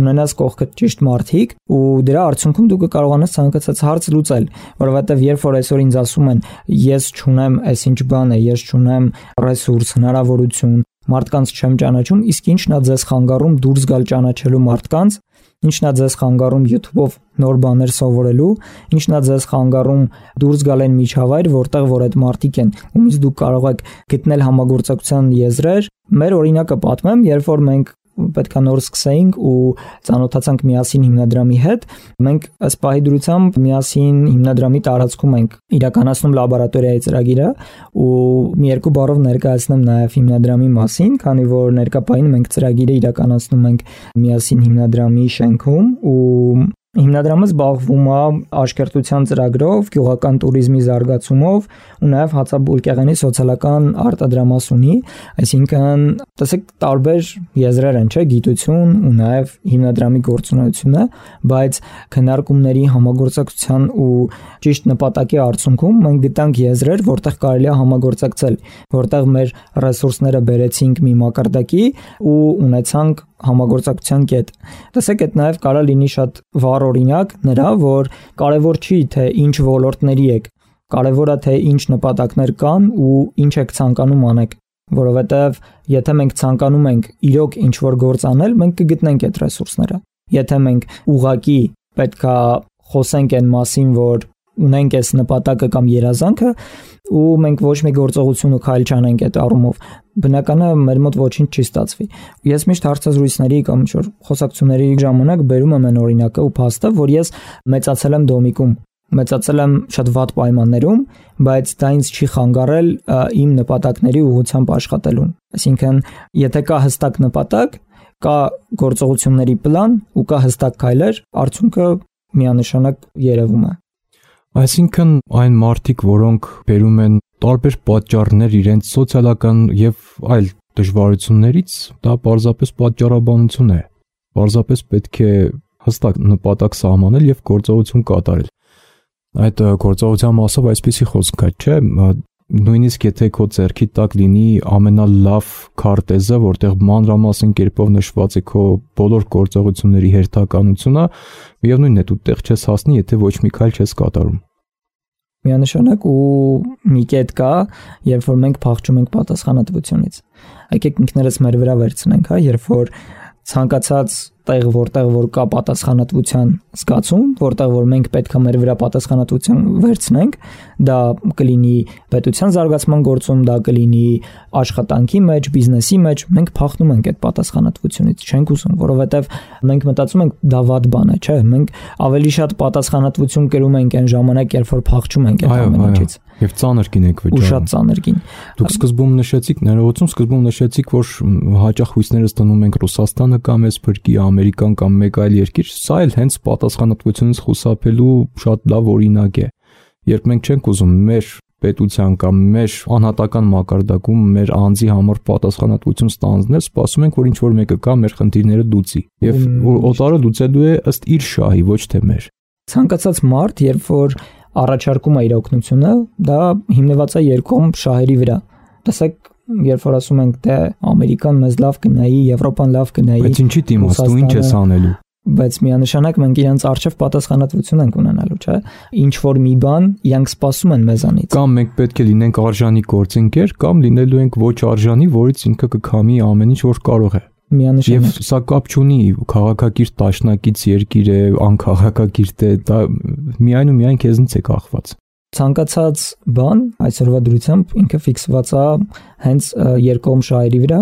ունենաս կողքդ ճիշտ մարդիկ ու դրա արդյունքում դու կկարողանաս ցանկացած հարց լուծել, որովհետև երբ որ այսօր ինձ ասում են ես չունեմ այսինչ բան է, ես չունեմ ռեսուրս, հնարավորություն, մարդկանց չեմ ճանաչում, իսկ ինչն է ձեզ խանգարում դուրս գալ ճանաչելու մարդկանց, ինչն է ձեզ խանգարում YouTube-ով նոր բաներ սովորելու, ինչն է ձեզ խանգարում դուրս գալ այն միջավայր, որտեղ որ այդ մարդիկ են, ումից դուք կարող եք գտնել համագործակցության եզրեր։ Մեր օրինակը պատմեմ, երբ որ մենք պետք է նոր սկսեինք ու ծանոթացանք միասին հիմնադրամի հետ, մենք ըստ պահի դրությամբ միասին հիմնադրամի տարածքում ենք իրականացնում լաբորատորիայի ծրագիրը ու մի երկու բառով ներկայացնեմ նաև հիմնադրամի մասին, քանի որ ներկա պահին մենք ծրագիրը իրականացնում ենք միասին հիմնադրամի շենքում ու հիմնադրամը զբաղվում է աշկերտության ծրագրով, գյուղական туриզմի զարգացումով ու նաև հացաբուլկեղենի սոցիալական արտադրամաս ունի, այսինքն տեսեք տարբեր եզրեր են, չէ, գիտություն ու նաև հիմնադրամի գործունեությունը, բայց քննարկումների համագործակցության ու ճիշտ նպատակի արդյունքում մենք գտանք եզրեր, որտեղ կարելի է համագործակցել, որտեղ մեր ռեսուրսները բերեցինք մի մակարդակի ու ունեցանք համագործակցության կետ։ Տեսեք, այդ նաև կարող լինի շատ վառ օրինակ նրա, որ կարևոր չի թե ինչ ոլորտների եք, կարևորը թե ինչ նպատակներ կան ու ինչ եք ցանկանում անեք, որովհետև եթե մենք ցանկանում ենք իրոք ինչ-որ գործ անել, մենք կգտնենք այդ ռեսուրսները։ Եթե մենք ուղղակի պետքա խոսենք այն մասին, որ ունենք այս նպատակը կամ երազանքը ու մենք ոչ մի գործողություն ու քայլ չանենք այդ առումով, բնականա մեր մոտ ոչինչ չի ստացվի։ Ես միշտ հարցազրույցների կամ ինչ-որ խոսակցությունների ժամանակ բերում եմ այն օրինակը ու փաստը, որ ես մեծացել եմ Դոմիկում, մեծացել եմ շատ վատ պայմաններում, բայց դա ինձ չի խանգարել իմ նպատակների ուղղությամբ աշխատելուն։ Այսինքն, եթե կա հստակ նպատակ, կա գործողությունների պլան ու կա հստակ քայլեր, արդյունքը միանշանակ երևում է։ Այսինքն այն մարդիկ, որոնք բերում են տարբեր պատճառներ իրենց սոցիալական եւ այլ դժվարություններից, դա պարզապես պատճառաբանություն է։ Պարզապես պետք է հստակ նպատակ սահմանել եւ գործողություն կատարել։ Այդ գործողության մասով այսպեսի խոսք կա, չէ՞, նույնիսկ եթե քո ձեռքի տակ լինի ամենալավ քարտեզը, որտեղ մանրամասն կերպով նշված է քո բոլոր գործողությունների հերթականությունը, միևնույնն է դու տեղ չես հասնի, եթե ոչ մի քայլ չես կատարում։ Միանշանակ ու մի կետ կա, երբ որ մենք փախչում ենք պատասխանատվությունից։ Եկեք ինքներս մեր վրա վերցնենք, հա, երբ որ ցանկացած տեղ, որտեղ որ կա պատասխանատվության զգացում, որտեղ որ մենք պետք է մեր վրա պատասխանատվություն վերցնենք, դա կլինի պետության զարգացման գործում, դա կլինի աշխատանքի մեջ, բիզնեսի մեջ, մենք փախնում ենք այդ պատասխանատվությունից, չենք ուզում, որովհետև մենք մտածում ենք դա վատ բան է, չէ՞, մենք ավելի շատ պատասխանատվություն կրում ենք այն ժամանակ, երբ որ փախչում ենք այդ ամեն ինչից։ Եվ ծանր կին եք վճարում։ Ու շատ ծանր կին։ Դուք սկզբում նշեցիք, ներողություն, սկզբում նշեցիք, որ հաճախ հույսներս դնում ենք Ռուսաստանը կամ էս փրկի Ամերիկան կամ մեկ այլ երկիր, սա էլ հենց պատասխանատվությունից խուսափելու շատ լավ օրինակ է։ Երբ մենք չենք ուզում մեր պետության կամ մեր անհատական մակարդակում մեր անձի համար պատասխանատվություն ստանձնել, սպասում ենք, որ ինչ որ մեկը կա մեր խնդիրները լուծի։ Եվ օտարը լուծելու է ըստ իր շահի, ոչ թե մեր։ Ցանկացած մարդ, երբ որ առաջարկում է իր օգնությունը, դա հիմնված է երկկողմ շահերի վրա։ Տեսեք, երբ որ ասում ենք, թե Ամերիկան մեզ լավ կնայի, Եվրոպան լավ կնայի, բայց ինչի դիմաց, դու ինչ ես անելու։ Բայց միանշանակ մենք իրենց արժև պատասխանատվություն ենք ունենալու, չէ՞։ Ինչ որ մի բան իրանք սպասում են մեզանից։ Կամ մենք պետք է լինենք արժանի գործընկեր, կամ լինելու ենք ոչ արժանի, որից ինքը կքամի ամեն ինչ, որ կարող է։ Միանշանակ։ Եվ սա կապ չունի քաղաքակիրթ տաշնակից երկիր է, անքաղաքակիրթ է, դա միայն ու միայն քեզնից է կախված։ Ցանկացած բան այսօրվա դրությամբ ինքը ֆիքսված է հենց երկկողմ շահերի վրա,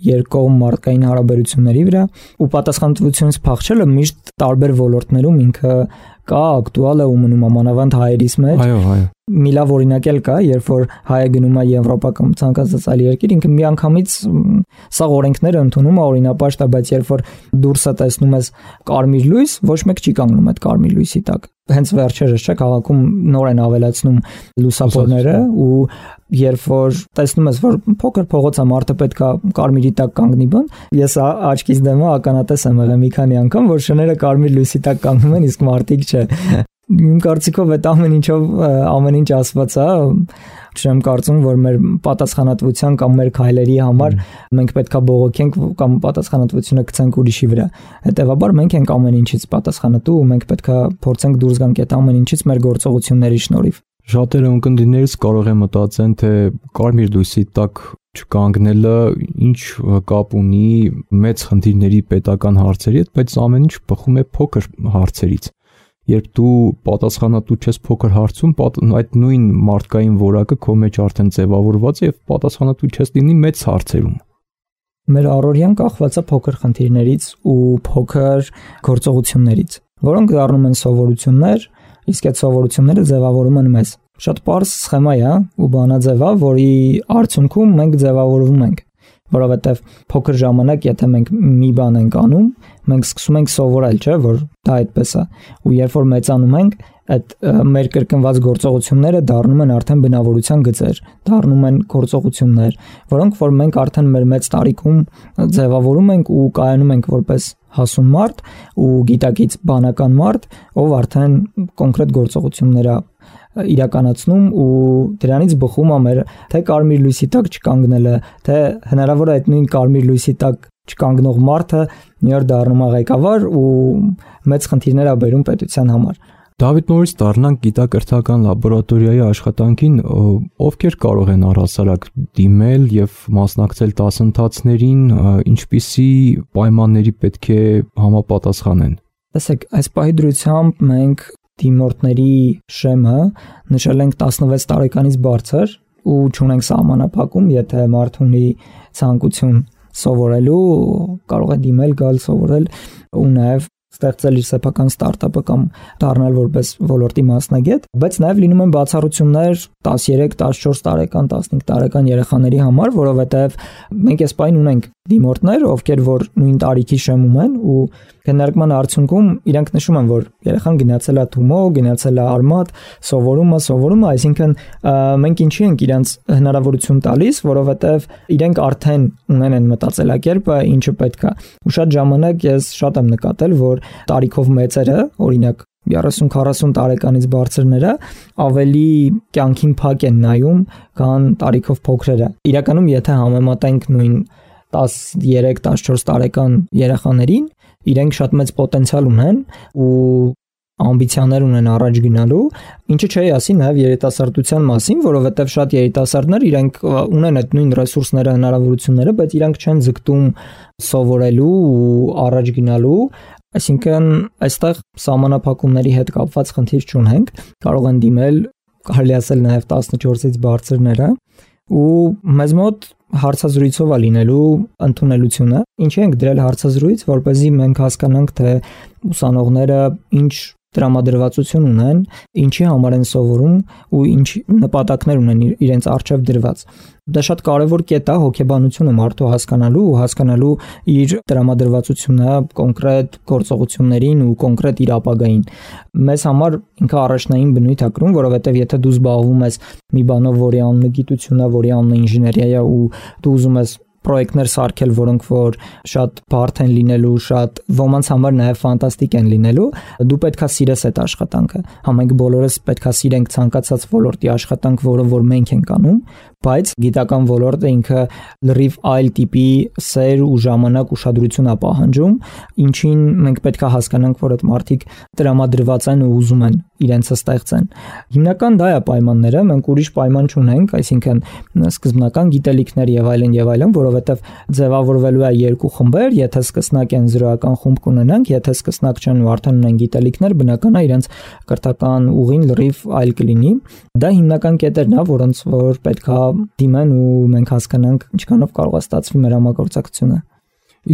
երկկողմ մարդկային հարաբերությունների վրա, ու պատասխանատվությունից փախչելը միշտ տարբեր ոլորտներում ինքը կա, ակտուալ է ու մնում ամանավանդ հայերիս մեջ։ Այո, այո։ Մի լավ օրինակ էլ կա, երբ որ հայը գնում է Եվրոպա կամ ցանկացած այլ երկիր, ինքը միանգամից սա օրենքները ընդունում է օրինապաշտ է, բայց երբ որ դուրսը տեսնում ես կարմիր լույս, ոչ մեկ չի կանգնում այդ կարմիր լույսի տակ։ Հենց վերջերս չէ քաղաքում նոր են ավելացնում լուսավորները, ու երբ որ տեսնում ես, որ փոքր փողոց է, մարդը պետք է կարմիրի տակ կանգնի բան, ես աչքից դեմը ականատես եմ եղել մի քանի անգամ, որ շները կարմիր լույսի տակ կանգնում են, իսկ մարդիկ չէ։ Իմ կարծիքով այդ ամեն ինչով ամեն ինչ ասված է, չեմ կարծում, որ մեր պատասխանատվության կամ մեր քայլերի համար մենք պետքա բողոքենք կամ պատասխանատվությունը գցենք ուրիշի վրա։ Հետևաբար մենք ենք ամեն ինչից պատասխանատու ու մենք պետքա փորձենք դուրս գանք այդ ամեն ինչից մեր գործողությունների շնորհիվ։ Շատերը ունկնդիրներից կարող է մտածեն, թե կարմիր լույսի տակ չկանգնելը ինչ կապ ունի մեծ խնդիրների պետական հարցերի հետ, բայց ամեն ինչ բխում է փոքր հարցերից։ Երբ դու պատասխանատու չես փոքր հարցում, այդ նույն մարդկային որակը քո մեջ արդեն ձևավորված է եւ պատասխանատու չես լինի մեծ հարցերում։ Մեր առօրյան կախված է փոքր խնդիրներից ու փոքր գործողություններից, որոնք դառնում են սովորություններ, իսկ այդ սովորությունները ձևավորում են մեզ։ Շատ պարզ սխեմա է ու բանաձև է, որի արդյունքում մենք ձևավորվում ենք, որովհետև փոքր ժամանակ, եթե մենք մի բան ենք անում, մենք սկսում ենք սովորել, չէ՞, որ դա այդպես է, ու երբ որ մեծանում ենք, այդ մեր կրկնված գործողությունները դառնում են արդեն բնավորության գծեր, դառնում են գործողություններ, որոնք որ մենք արդեն մեր մեծ տարիքում ձևավորում ենք ու կայանում ենք որպես հասուն մարդ ու գիտակից բանական մարդ, ով արդեն կոնկրետ գործողություններ է իրականացնում ու դրանից բխում է մեր թե կարմիր լույսի տակ չկանգնելը, թե հնարավոր է այդ նույն կարմիր լույսի տակ չկանգնող մարդը մի օր դառնում է ղեկավար ու մեծ խնդիրներ է բերում պետության համար։ Դավիթ, նորից դառնանք գիտակրթական լաբորատորիայի աշխատանքին, ովքեր կարող են առհասարակ դիմել եւ մասնակցել դասընթացներին, ինչպիսի պայմանների պետք է համապատասխանեն։ Տեսեք, այս պահի դրությամբ մենք դիմորդների շեմը նշել ենք տասնվեց տարեկանից բարձր ու չունենք սահմանափակում, եթե մարդ ունի ցանկություն սովորելու, կարող է դիմել, գալ սովորել ու նաև ստեղծել իր սեփական ստարտափը կամ դառնալ որպես ոլորտի մասնագետ, բայց նաև լինում են բացառություններ տասներեք, տասնչորս տարեկան, տասնհինգ տարեկան երեխաների համար, որովհետև մենք այս պայն ունենք դիմորդներ, ովքեր որ նույն տարիքի շեմում են ու քննարկման արդյունքում իրանք նշում են, որ երեխան գնացել է Թումո, գնացել է Արմատ, սովորում է, սովորում է, այսինքն մենք ինչի ենք իրանց հնարավորություն տալիս, որովհետև իրենք արդեն ունեն են մտածելակերպը, ինչը պետք է։ Ու շատ ժամանակ ես շատ եմ նկատել, որ տարիքով մեծերը, օրինակ երեսուն-քառասուն տարեկանից բարձրները ավելի կյանքին փակ են նայում, քան տարիքով փոքրերը։ Իրականում եթե համեմատենք նույն տասներեք տասնչորս տարեկան երեխաներին, իրենք շատ մեծ պոտենցիալ ունեն ու ամբիցիաներ ունեն առաջ գնալու, ինչը չի ասի նաև երիտասարդության մասին, որովհետև շատ երիտասարդներ իրենք ունեն այդ նույն ռեսուրսները, հնարավորությունները, բայց իրենք չեն ձգտում սովորելու ու առաջ գնալու, այսինքն այստեղ սահմանափակումների հետ կապված խնդիր չունենք, կարող են դիմել, կարելի ասել նաև տասնչորսից բարձրները, ու մեզ մոտ հարցազրույցով է լինելու ընդունելությունը, ինչի ենք դրել հարցազրույց, որպեսզի մենք հասկանանք, թե ուսանողները ինչ տրամադրվածություն ունեն, ինչի համար են սովորում ու ինչ նպատակներ ունեն իրենց առջև դրված։ Դա շատ կարևոր կետ է հոգեբանությունը մարդու հասկանալու ու հասկանալու իր տրամադրվածությունը կոնկրետ գործողություններին ու կոնկրետ իր ապագային։ Մեզ համար ինքը առաջնային բնույթ է կրում, որովհետև եթե դու զբաղվում ես մի բանով, որի անունը գիտություն է, որի անունը ինժեներիա է ու դու ուզում ես պրոյեկտներ սարքել, որոնք որ շատ բարդ են լինելու, շատ ոմանց համար նաև ֆանտաստիկ են լինելու, դու պետքա սիրես այդ աշխատանքը։ Համենք բոլորս պետքա սիրենք ցանկացած ոլորտի աշխատանք, որը որ մենք ենք անում, բայց գիտական ոլորտը ինքը լրիվ այլ տիպի սեր ու ժամանակ ուշադրություն է պահանջում, ինչին մենք պետքա հասկանանք, որ այդ մարդիկ տրամադրված են ու ուզում են իրենցը ստեղծեն։ Հիմնական դա է պայմանները, մենք ուրիշ պայման չունենք, այսինքն սկզբնական գիտելիքներ եւ այլն եւ այլն, որովհետեւ ձևավորվելու է երկու խմբեր, եթե սկսնակ են զրոյական խումբ կունենանք, եթե սկսնակ չեն ու արդեն ունեն գիտելիքներ, բնական է իրենց կրթական ուղին լրիվ այլ կլինի։ Դա հիմնական կետերն է, որոնց որ պետքա դիմեն ու մենք հասկանանք ինչքանով կարող է ստացվի մեր համագործակցությունը։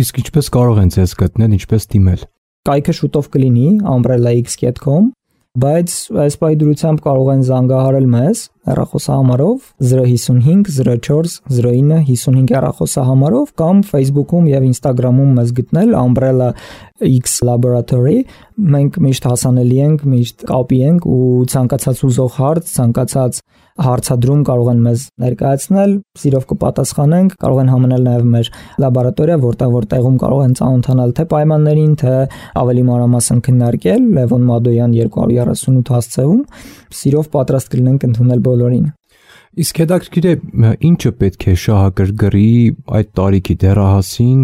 Իսկ ինչպես կարող են ձեզ գտնել, ինչպես դիմել։ Կայքը շուտով կլինի umbrella x dot com, բայց այս պայդրությամբ կարող են զանգահարել մեզ հեռախոսահամարով zero five five zero four zero nine five five հեռախոսահամարով կամ Facebook-ում եւ Instagram-ում մեզ գտնել umbrella x laboratory։ Մենք միշտ հասանելի ենք, միշտ կապի ենք ու ցանկացած ուզող հարց, ցանկացած հարցադրում կարող են մեզ ներկայացնել, սիրով կպատասխանենք, կարող են համանել նաև մեր լաբորատորիա, որտեղ որտեղում կարող են ծանոթանալ թե պայմաններին, թե ավելի մանրամասն քննարկել Լևոն Մադոյան երկու հարյուր երեսունութ հասցեում, սիրով պատրաստ կլինենք ընդունել բոլորին։ Իսկ հետաքրքիր է, ինչը պետք է շահագրգռի այդ տարիքի դեռահասին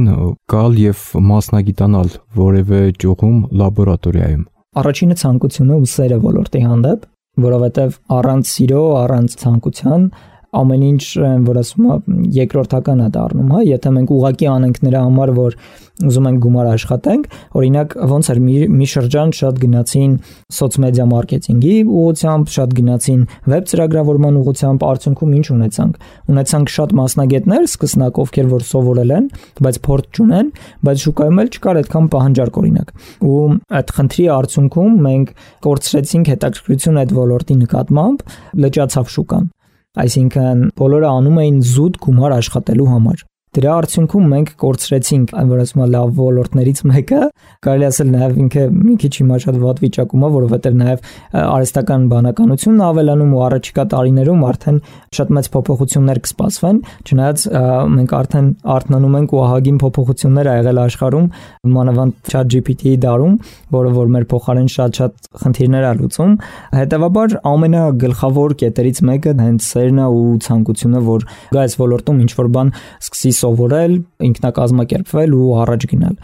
գալ եւ մասնագիտանալ որևէ ճյուղում լաբորատորիայում։ Առաջինը ցանկությունը ու սերը ոլորտի հանդեպ, որովհետև առանց սիրո, առանց ցանկության ամեն ինչ, որ ասում եմ, երկրորդական է դառնում, հա, եթե մենք ուղակի անենք նրա համար, որ ուզում ենք գումար աշխատենք, օրինակ ոնց էր մի, մի շրջան շատ գնացին սոցմեդիա մարքեթինգի ուղղությամբ, շատ գնացին վեբ ծրագրավորման ուղղությամբ, արդյունքում ինչ ունեցանք։ Ունեցանք շատ մասնագետներ, սկսնակ ովքեր որ սովորել են, բայց փորձ չունեն, բայց շուկայում էլ չկար այդքան պահանջարկ օրինակ։ Ու այդ խնդրի արդյունքում մենք կորցրեցինք հետաքրքրությունը այդ ոլորտի նկատմամբ, լճացավ շուկան։ Այսինքն բոլորը անում էին զուտ գումար աշխատելու համար։ Դրա արդյունքում մենք կորցրեցինք, այն որ ասում եմ լավ ոլորտներից մեկը, կարելի ասել նաև ինքը մի քիչ հիմա շատ վատ վիճակում է, որովհետև նաև արհեստական բանականությունն ավելանում ու առաջիկա տարիներում արդեն շատ մեծ փոփոխություններ կսպասվեն, չնայած մենք արդեն արթնանում ենք ու ահագին փոփոխություններ ա եղել աշխարհում, մանավանդ chat G P T-ի դարում, որը որ մեր փոխարեն շատ-շատ խնդիրներ ա լուծում։ Հետևաբար ամենագլխավոր կետերից մեկը հենց սերն է ու ցանկությունը, որ գա այս ոլորտում ինչ-որ բան սկսի սովորել, ինքնակազմակերպվել ու առաջ գնալ։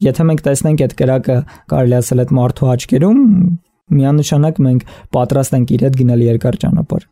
Եթե մենք տեսնենք այդ կրակը, կարելի ասել այդ մարդու աչքերում, միանշանակ մենք պատրաստ ենք իր հետ գնալ երկար ճանապարհ։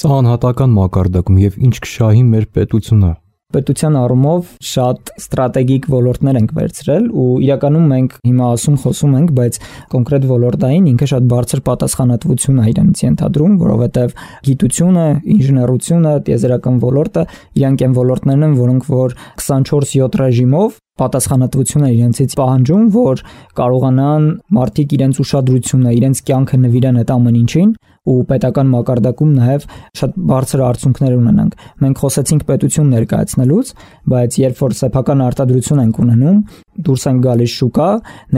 Սա անհատական մակարդակում եւ ինչ կշահի մեր պետությունը։ Պետության առումով շատ ստրատեգիկ ոլորտներ ենք վերցրել ու իրականում մենք հիմա ասում խոսում ենք, բայց կոնկրետ ոլորտային ինքը շատ բարձր պատասխանատվություն է իրենից ենթադրում, որովհետև գիտությունը, ինժեներությունը, տիեզերական ոլորտը իրանք են ոլորտներն են, որոնք որ twenty-four seven ռեժիմով պատասխանատվությունը իրենցից պահանջում, որ կարողանան մարդիկ իրենց ուշադրությունը, իրենց կյանքը նվիրեն այդ ամեն ինչին ու պետական մակարդակում նաև շատ բարձր արդյունքներ ունենանք։ Մենք խոսեցինք պետություն ներկայացնելուց, բայց երբ որ սեփական արտադրություն ենք ունենում, դուրս ենք գալիս շուկա,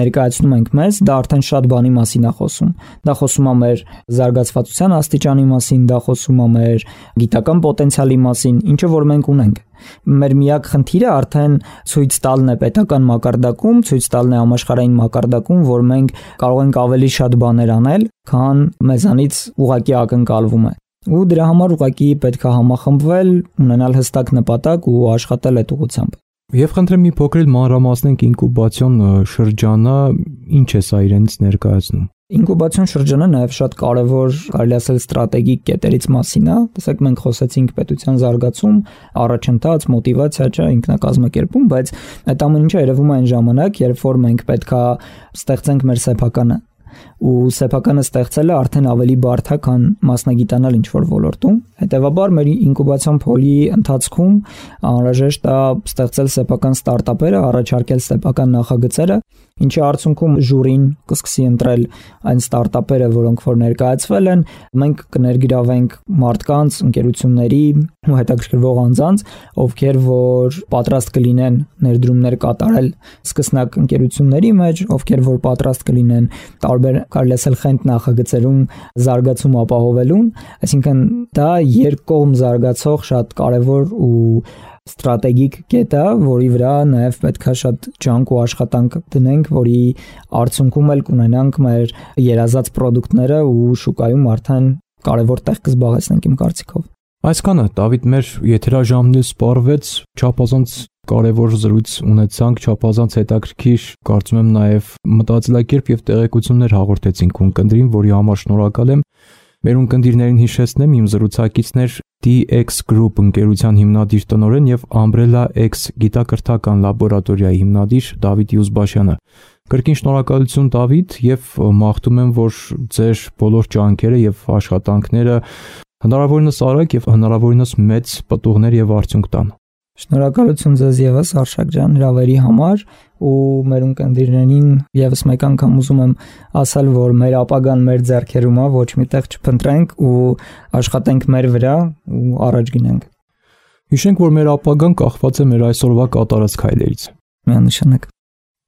ներկայացնում ենք մեզ, դա արդեն շատ բանի մասին է խոսում։ Դա խոսում է մեր զարգացվածության աստիճանի մասին, դա խոսում է մեր գիտական պոտենցիալի մասին, ինչը որ մենք ունենք։ Մեր միակ խնդիրը արդեն ցույց տալն է պետական մակարդակում, ցույց տալն է համաշխարհային մակարդակում, որ մենք կարող ենք ավելի շատ բաներ անել, քան մեզանից ուղղակի ակնկալվում է։ Ու դրա համար ուղղակի պետք է համախմբվել, ունենալ հստակ նպատակ ու աշխատել այդ ուղղությամբ։ Եվ խնդրեմ մի փոքր մանրամասնենք ինկուբացիոն շրջանը, ինչ է սա իրենից ներկայացնում։ Ինկուբացիոն շրջանը նաև շատ կարևոր, կարելի ասել, ստրատեգիկ կետերից մասին է։ Տեսեք, մենք խոսեցինք պետության զարգացում, առաջընթաց, մոտիվացիա, չէ, ինքնակազմակերպում, բայց այդ ամեն ինչը երևում է այն ժամանակ, երբ որ մենք պետքա ստեղծենք մեր սեփականը, ու սեփականը ստեղծելը արդեն ավելի բարդ է, քան մասնագիտանալ ինչ-որ ոլորտում։ Հետևաբար մեր ինկուբացիոն փոլի ընթացքում անհրաժեշտ է ստեղծել սեփական ստարտափերը, առաջարկել սեփական նախագծերը, ինչի արդյունքում ժյուրին կսկսի ընտրել այն ստարտափերը, որոնք որ ներկայացվել են, մենք կներգրավենք մարդկանց, ընկերությունների ու հետաքրքրվող անձանց, ովքեր որ պատրաստ կլինեն ներդրումներ կատարել սկսնակ ընկերությունների մեջ, ովքեր որ պատրաստ կլինեն տարբեր, կարելի ասել, խենթ նախագծերում զարգացում ապահովելուն, այսինքն դա երկկողմ զարգացող շատ կարևոր ու ստրատեգիկ կետ է, որի վրա նաև պետք է շատ ջանք ու աշխատանք դնենք, որի արդյունքում էլ կունենանք մեր երազած պրոդուկտները ու շուկայում արդեն կարևոր տեղ կզբաղեցնենք իմ կարծիքով։ Այսքանը Դավիթ, մեր եթերաժամն սպառվեց, չափազանց կարևոր զրույց ունեցանք, չափազանց հետաքրքիր, կարծում եմ նաև մտածելակերպ եւ տեղեկություններ հաղորդեցինք ունկնդրին, որի համար շնորհակալ եմ։ Մեր ունկնդիրներին հիշեցնեմ, իմ զրուցակիցներ T X Group ընկերության հիմնադիր տնօրեն եւ Umbrella X գիտակրթական լաբորատորիայի հիմնադիր Դավիթ Յուզբաշյանը։ Կրկին շնորհակալություն Դավիթ եւ մաղթում եմ, որ ձեր բոլոր ջանքերը եւ աշխատանքները հնարավորինս արագ եւ հնարավորինս մեծ պտուղներ եւ արդյունք տան։ Շնորհակալություն ձեզ եւս Արշակ ջան հրավերի համար ու մեր ունկնդիրներին եւս մեկ անգամ ուզում եմ ասել, որ մեր ապագան մեր ձեռքերում է, ոչ միտեղ չփնտրենք ու աշխատենք մեր վրա ու առաջ գնանք։ Հիշենք, որ մեր ապագան կախված է մեր այսօրվա կատարած քայլերից։ Միանշանակ։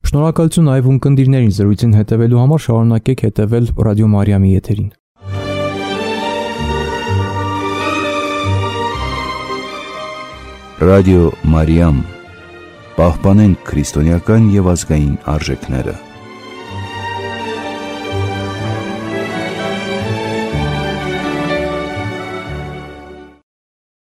Շնորհակալություն այվ ունկնդիրներին զրույցին հետևելու համար, շարունակեք հետևել Ռադիո Մարիամի եթերին։ Ռադիո Մարիամ, պահպանենք քրիստոնեական եւ ազգային արժեքները։